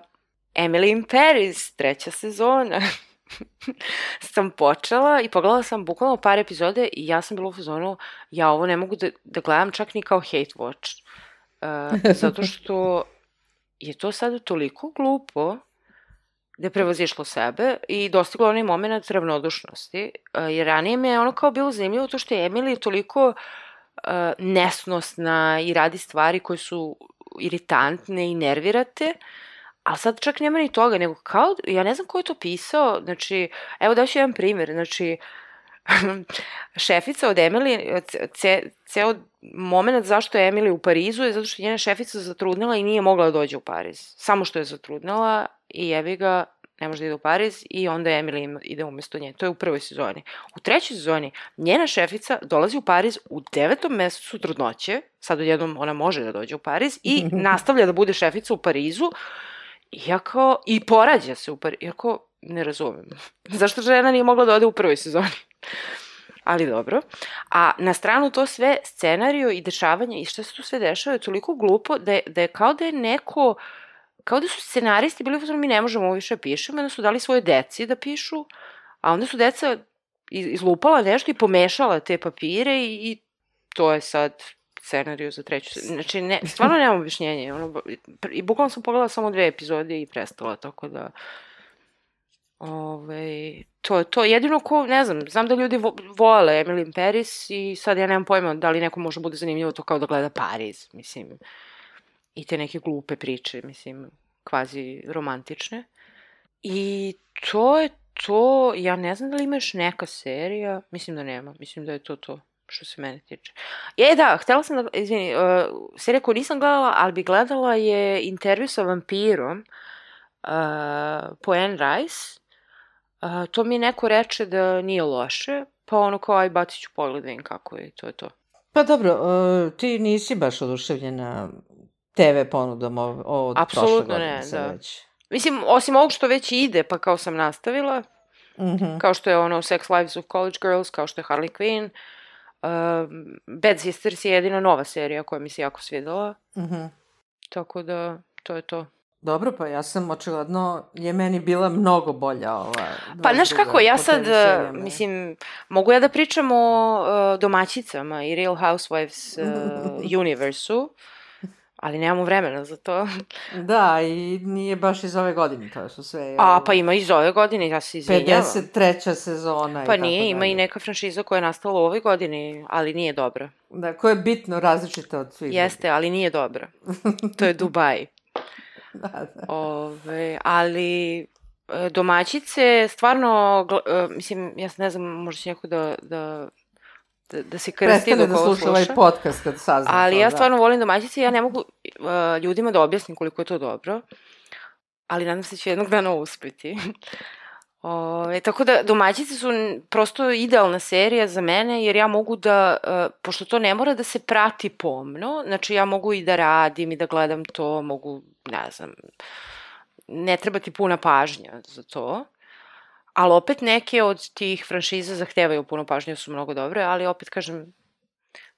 Emily in Paris, 3. sezona, sam počela i pogledala sam bukvalno par epizode i ja sam bila u fazonu, ja ovo ne mogu da gledam čak ni kao hate watch. Zato što je to sada toliko glupo da je prevazišlo sebe i dostiglo onaj moment ravnodušnosti, jer ranije me je kao bilo zanimljivo to što je Emily toliko nesnosna i radi stvari koje su iritantne i nervirate, ali sad čak nema ni toga, nego kao, ja ne znam ko je to pisao, znači, evo daću jedan primjer, znači, šefica od Emily, ceo moment zašto je Emily u Parizu je zato što je njena šefica zatrudnila i nije mogla da dođe u Pariz. Samo što je zatrudnila i jebi ga, ne može da ide u Pariz i onda Emily ide umesto nje. To je u 1. sezoni. U 3. sezoni njena šefica dolazi u Pariz u 9. mesecu trudnoće, sad odjednom ona može da dođe u Pariz i nastavlja da bude šefica u Parizu i porađa se u Parizu. Iako ne razumem. Zašto žena nije mogla da ode u 1. sezoni? ali dobro. A na stranu to sve scenariju i dešavanje i šta se tu sve dešava je toliko glupo da je kao da je neko, kao da su scenaristi bili u mi ne možemo ovo više pišemo, onda su dali svoje deci da pišu, a onda su deca izlupala nešto i pomešala te papire i to je sad scenariju za treću. Znači, stvarno nemam objašnjenje. I bukvalno sam pogledala samo 2 epizode i prestala, tako da... To je jedino ko, ne znam da ljudi vole Emily in Paris i sad ja nemam pojma da li neko može bude zanimljivo to kao da gleda Pariz, mislim. I te neke glupe priče, mislim, kvazi romantične. I to je to, ja ne znam da li ima još neka serija, mislim da nema, mislim da je to što se mene tiče. Da, htela sam da, izvini, serija koju nisam gledala, ali bi gledala je Intervju sa vampirom po Anne Rice. To mi neko reče da nije loše, pa ono kao aj bacit ću pogled da vidim kako je, to je to. Pa dobro, ti nisi baš oduševljena TV ponudom od prošle godine. Apsolutno ne, da. Mislim, osim ovog što već ide, pa kao sam nastavila, kao što je ono Sex Lives of College Girls, kao što je Harley Quinn, Bad Sisters je jedina nova serija koja mi se jako svidela, tako da to je to. Dobro, pa ja sam očigledno, je meni bila mnogo bolja ova... Pa znaš kako, ja sad, mislim, mogu ja da pričam o domaćicama i Real Housewives universu, ali nemamo vremena za to. Da, i nije baš iz ove godine, to su sve... Pa ima iz ove godine, ja se izvinjavam. 53. sezona i tako dalje. Pa nije, ima i neka franšiza koja je nastala u ovoj godini, ali nije dobra. Da, koja je bitno različita od svih. Jeste, ali nije dobra. To je Dubai. Da. Ali domaćice, stvarno, mislim, ja ne znam, možda će neko da se krsti dok ovo sluša. Prestane da sluša ovaj podcast kad sazna. Ali ja stvarno volim domaćice i ja ne mogu ljudima da objasnim koliko je to dobro, ali nadam se će jednog dana uspeti. Tako da domaćice su prosto idealna serija za mene, jer ja mogu da, pošto to ne mora da se prati pomno, znači ja mogu i da radim i da gledam to, mogu, ne znam, ne treba ti puna pažnja za to, ali opet neke od tih franšiza zahtevaju puno pažnje, su mnogo dobre, ali opet kažem,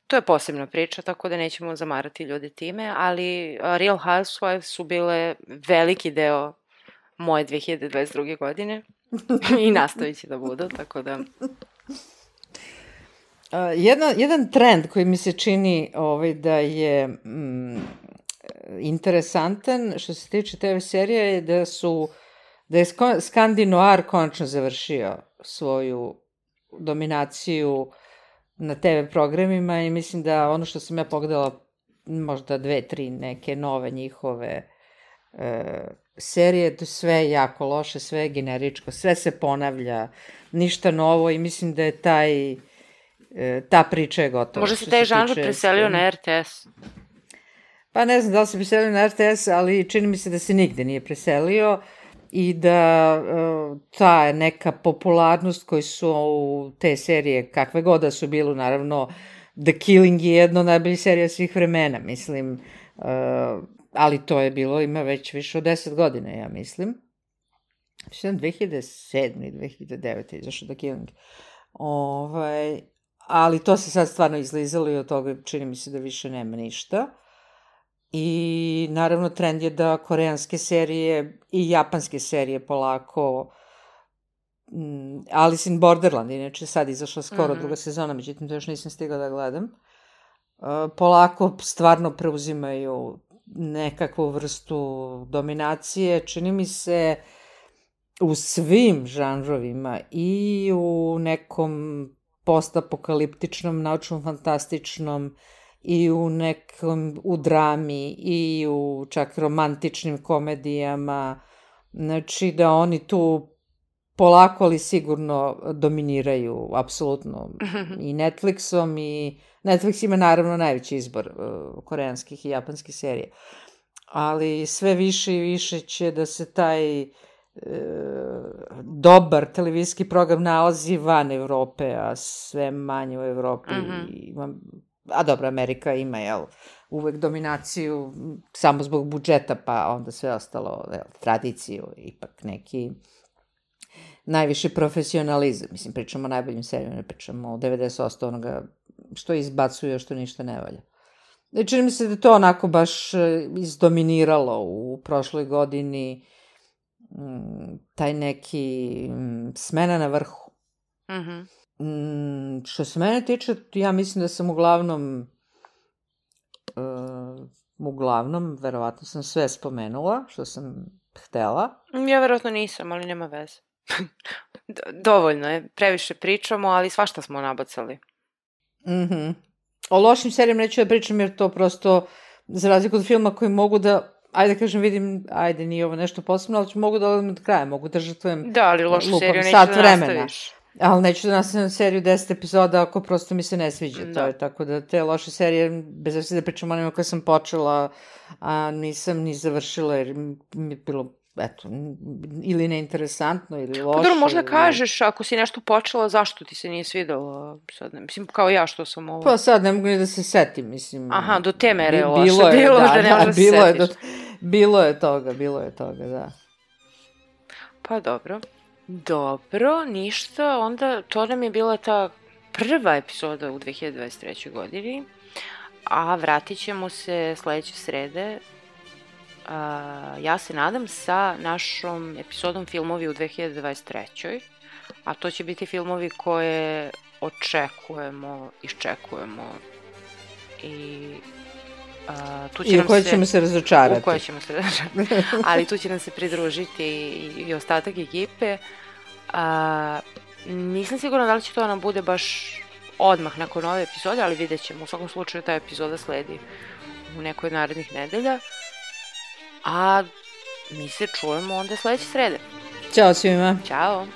to je posebna priča, tako da nećemo zamarati ljude time, ali Real Housewives su bile veliki deo moje 2022. godine i nastavit će da budu, tako da... Jedan trend koji mi se čini da je interesantan što se tiče TV serija je da je Skandinoar konačno završio svoju dominaciju na TV programima i mislim da ono što sam ja pogledala možda 2-3 neke nove njihove serije, sve je jako loše, sve je generičko, sve se ponavlja, ništa novo i mislim da je ta priča je gotova. Možda se taj žanr preselio na RTS? Pa ne znam da li se preselio na RTS, ali čini mi se da se nigde nije preselio i da ta neka popularnost koju su te serije, kakve god da su bilo, naravno The Killing je jedna od najboljih serija svih vremena, mislim, ali to je bilo, ima već više od 10 godina, ja mislim. 2007. i 2009. izašao The Killing. Ali to se sad stvarno izlizalo i od toga čini mi se da više nema ništa. I naravno trend je da koreanske serije i japanske serije polako, Alice in Borderland, inače sad izašla skoro druga sezona, međutim to još nisam stigla da gledam, polako stvarno preuzimaju nekakvu vrstu dominacije, čini mi se u svim žanrovima i u nekom postapokaliptičnom, naučno-fantastičnom i u drami i u čak romantičnim komedijama, znači da oni tu polako ali sigurno dominiraju apsolutno i Netflixom i Netflix ima naravno najveći izbor koreanskih i japanskih serija, ali sve više i više će da se taj dobar televizijski program nalazi van Evrope, a sve manje u Evropi. A dobro, Amerika ima, uvek dominaciju samo zbog budžeta, pa onda sve ostalo, tradiciju, ipak najviši profesionalizam. Mislim, pričamo o najboljim serijama, ne pričamo o 90% onoga što izbacuje, što ništa ne valja. Čini mi se da je to onako baš izdominiralo u prošloj godini, taj neki smena na vrhu. Što se mene tiče, ja mislim da sam uglavnom, verovatno sam sve spomenula što sam htela. Ja verovatno nisam, ali nema veze. Dovoljno je, previše pričamo, ali svašta smo nabacali. O lošim serijama neću da pričam jer to prosto, za razliku od filma koji mogu da, ajde kažem, vidim, ajde nije ovo nešto posebno, ali mogu da odem od kraja, mogu da žrtvujem da, ali lošu seriju neću da nastaviš. Ali neću da nastavim seriju 10 epizoda ako prosto mi se ne sviđa. To je tako da te loše serije, bez obzira da pričam o onima koje sam počela, a nisam ni završila jer mi je bilo, eto, ili neinteresantno ili loše. Dobro, možda kažeš ako si nešto počela, zašto ti se nije svidelo? Sad, mislim, kao ja što sam ovo... Pa sad ne mogu ni da se setim, mislim... Aha, do te mere je loše bilo da ne možeš da se setiš. Bilo je toga, da. Pa dobro. Dobro, ništa, onda to nam je bila ta prva epizoda u 2023. godini, a vratit ćemo se sledeće srede, ja se nadam, sa našom epizodom filmovi u 2023. A to će biti filmovi koje iščekujemo i u koje ćemo se razočarati. Ali tu će nam se pridružiti i ostatak ekipe. Nisam sigurna da li će to nam bude baš odmah nakon ove epizode, ali vidjet ćemo. U svakom slučaju ta epizoda sledi u nekoj od narednih nedelja. A mi se čujemo onda sledeće srede. Ćao svima. Ćao.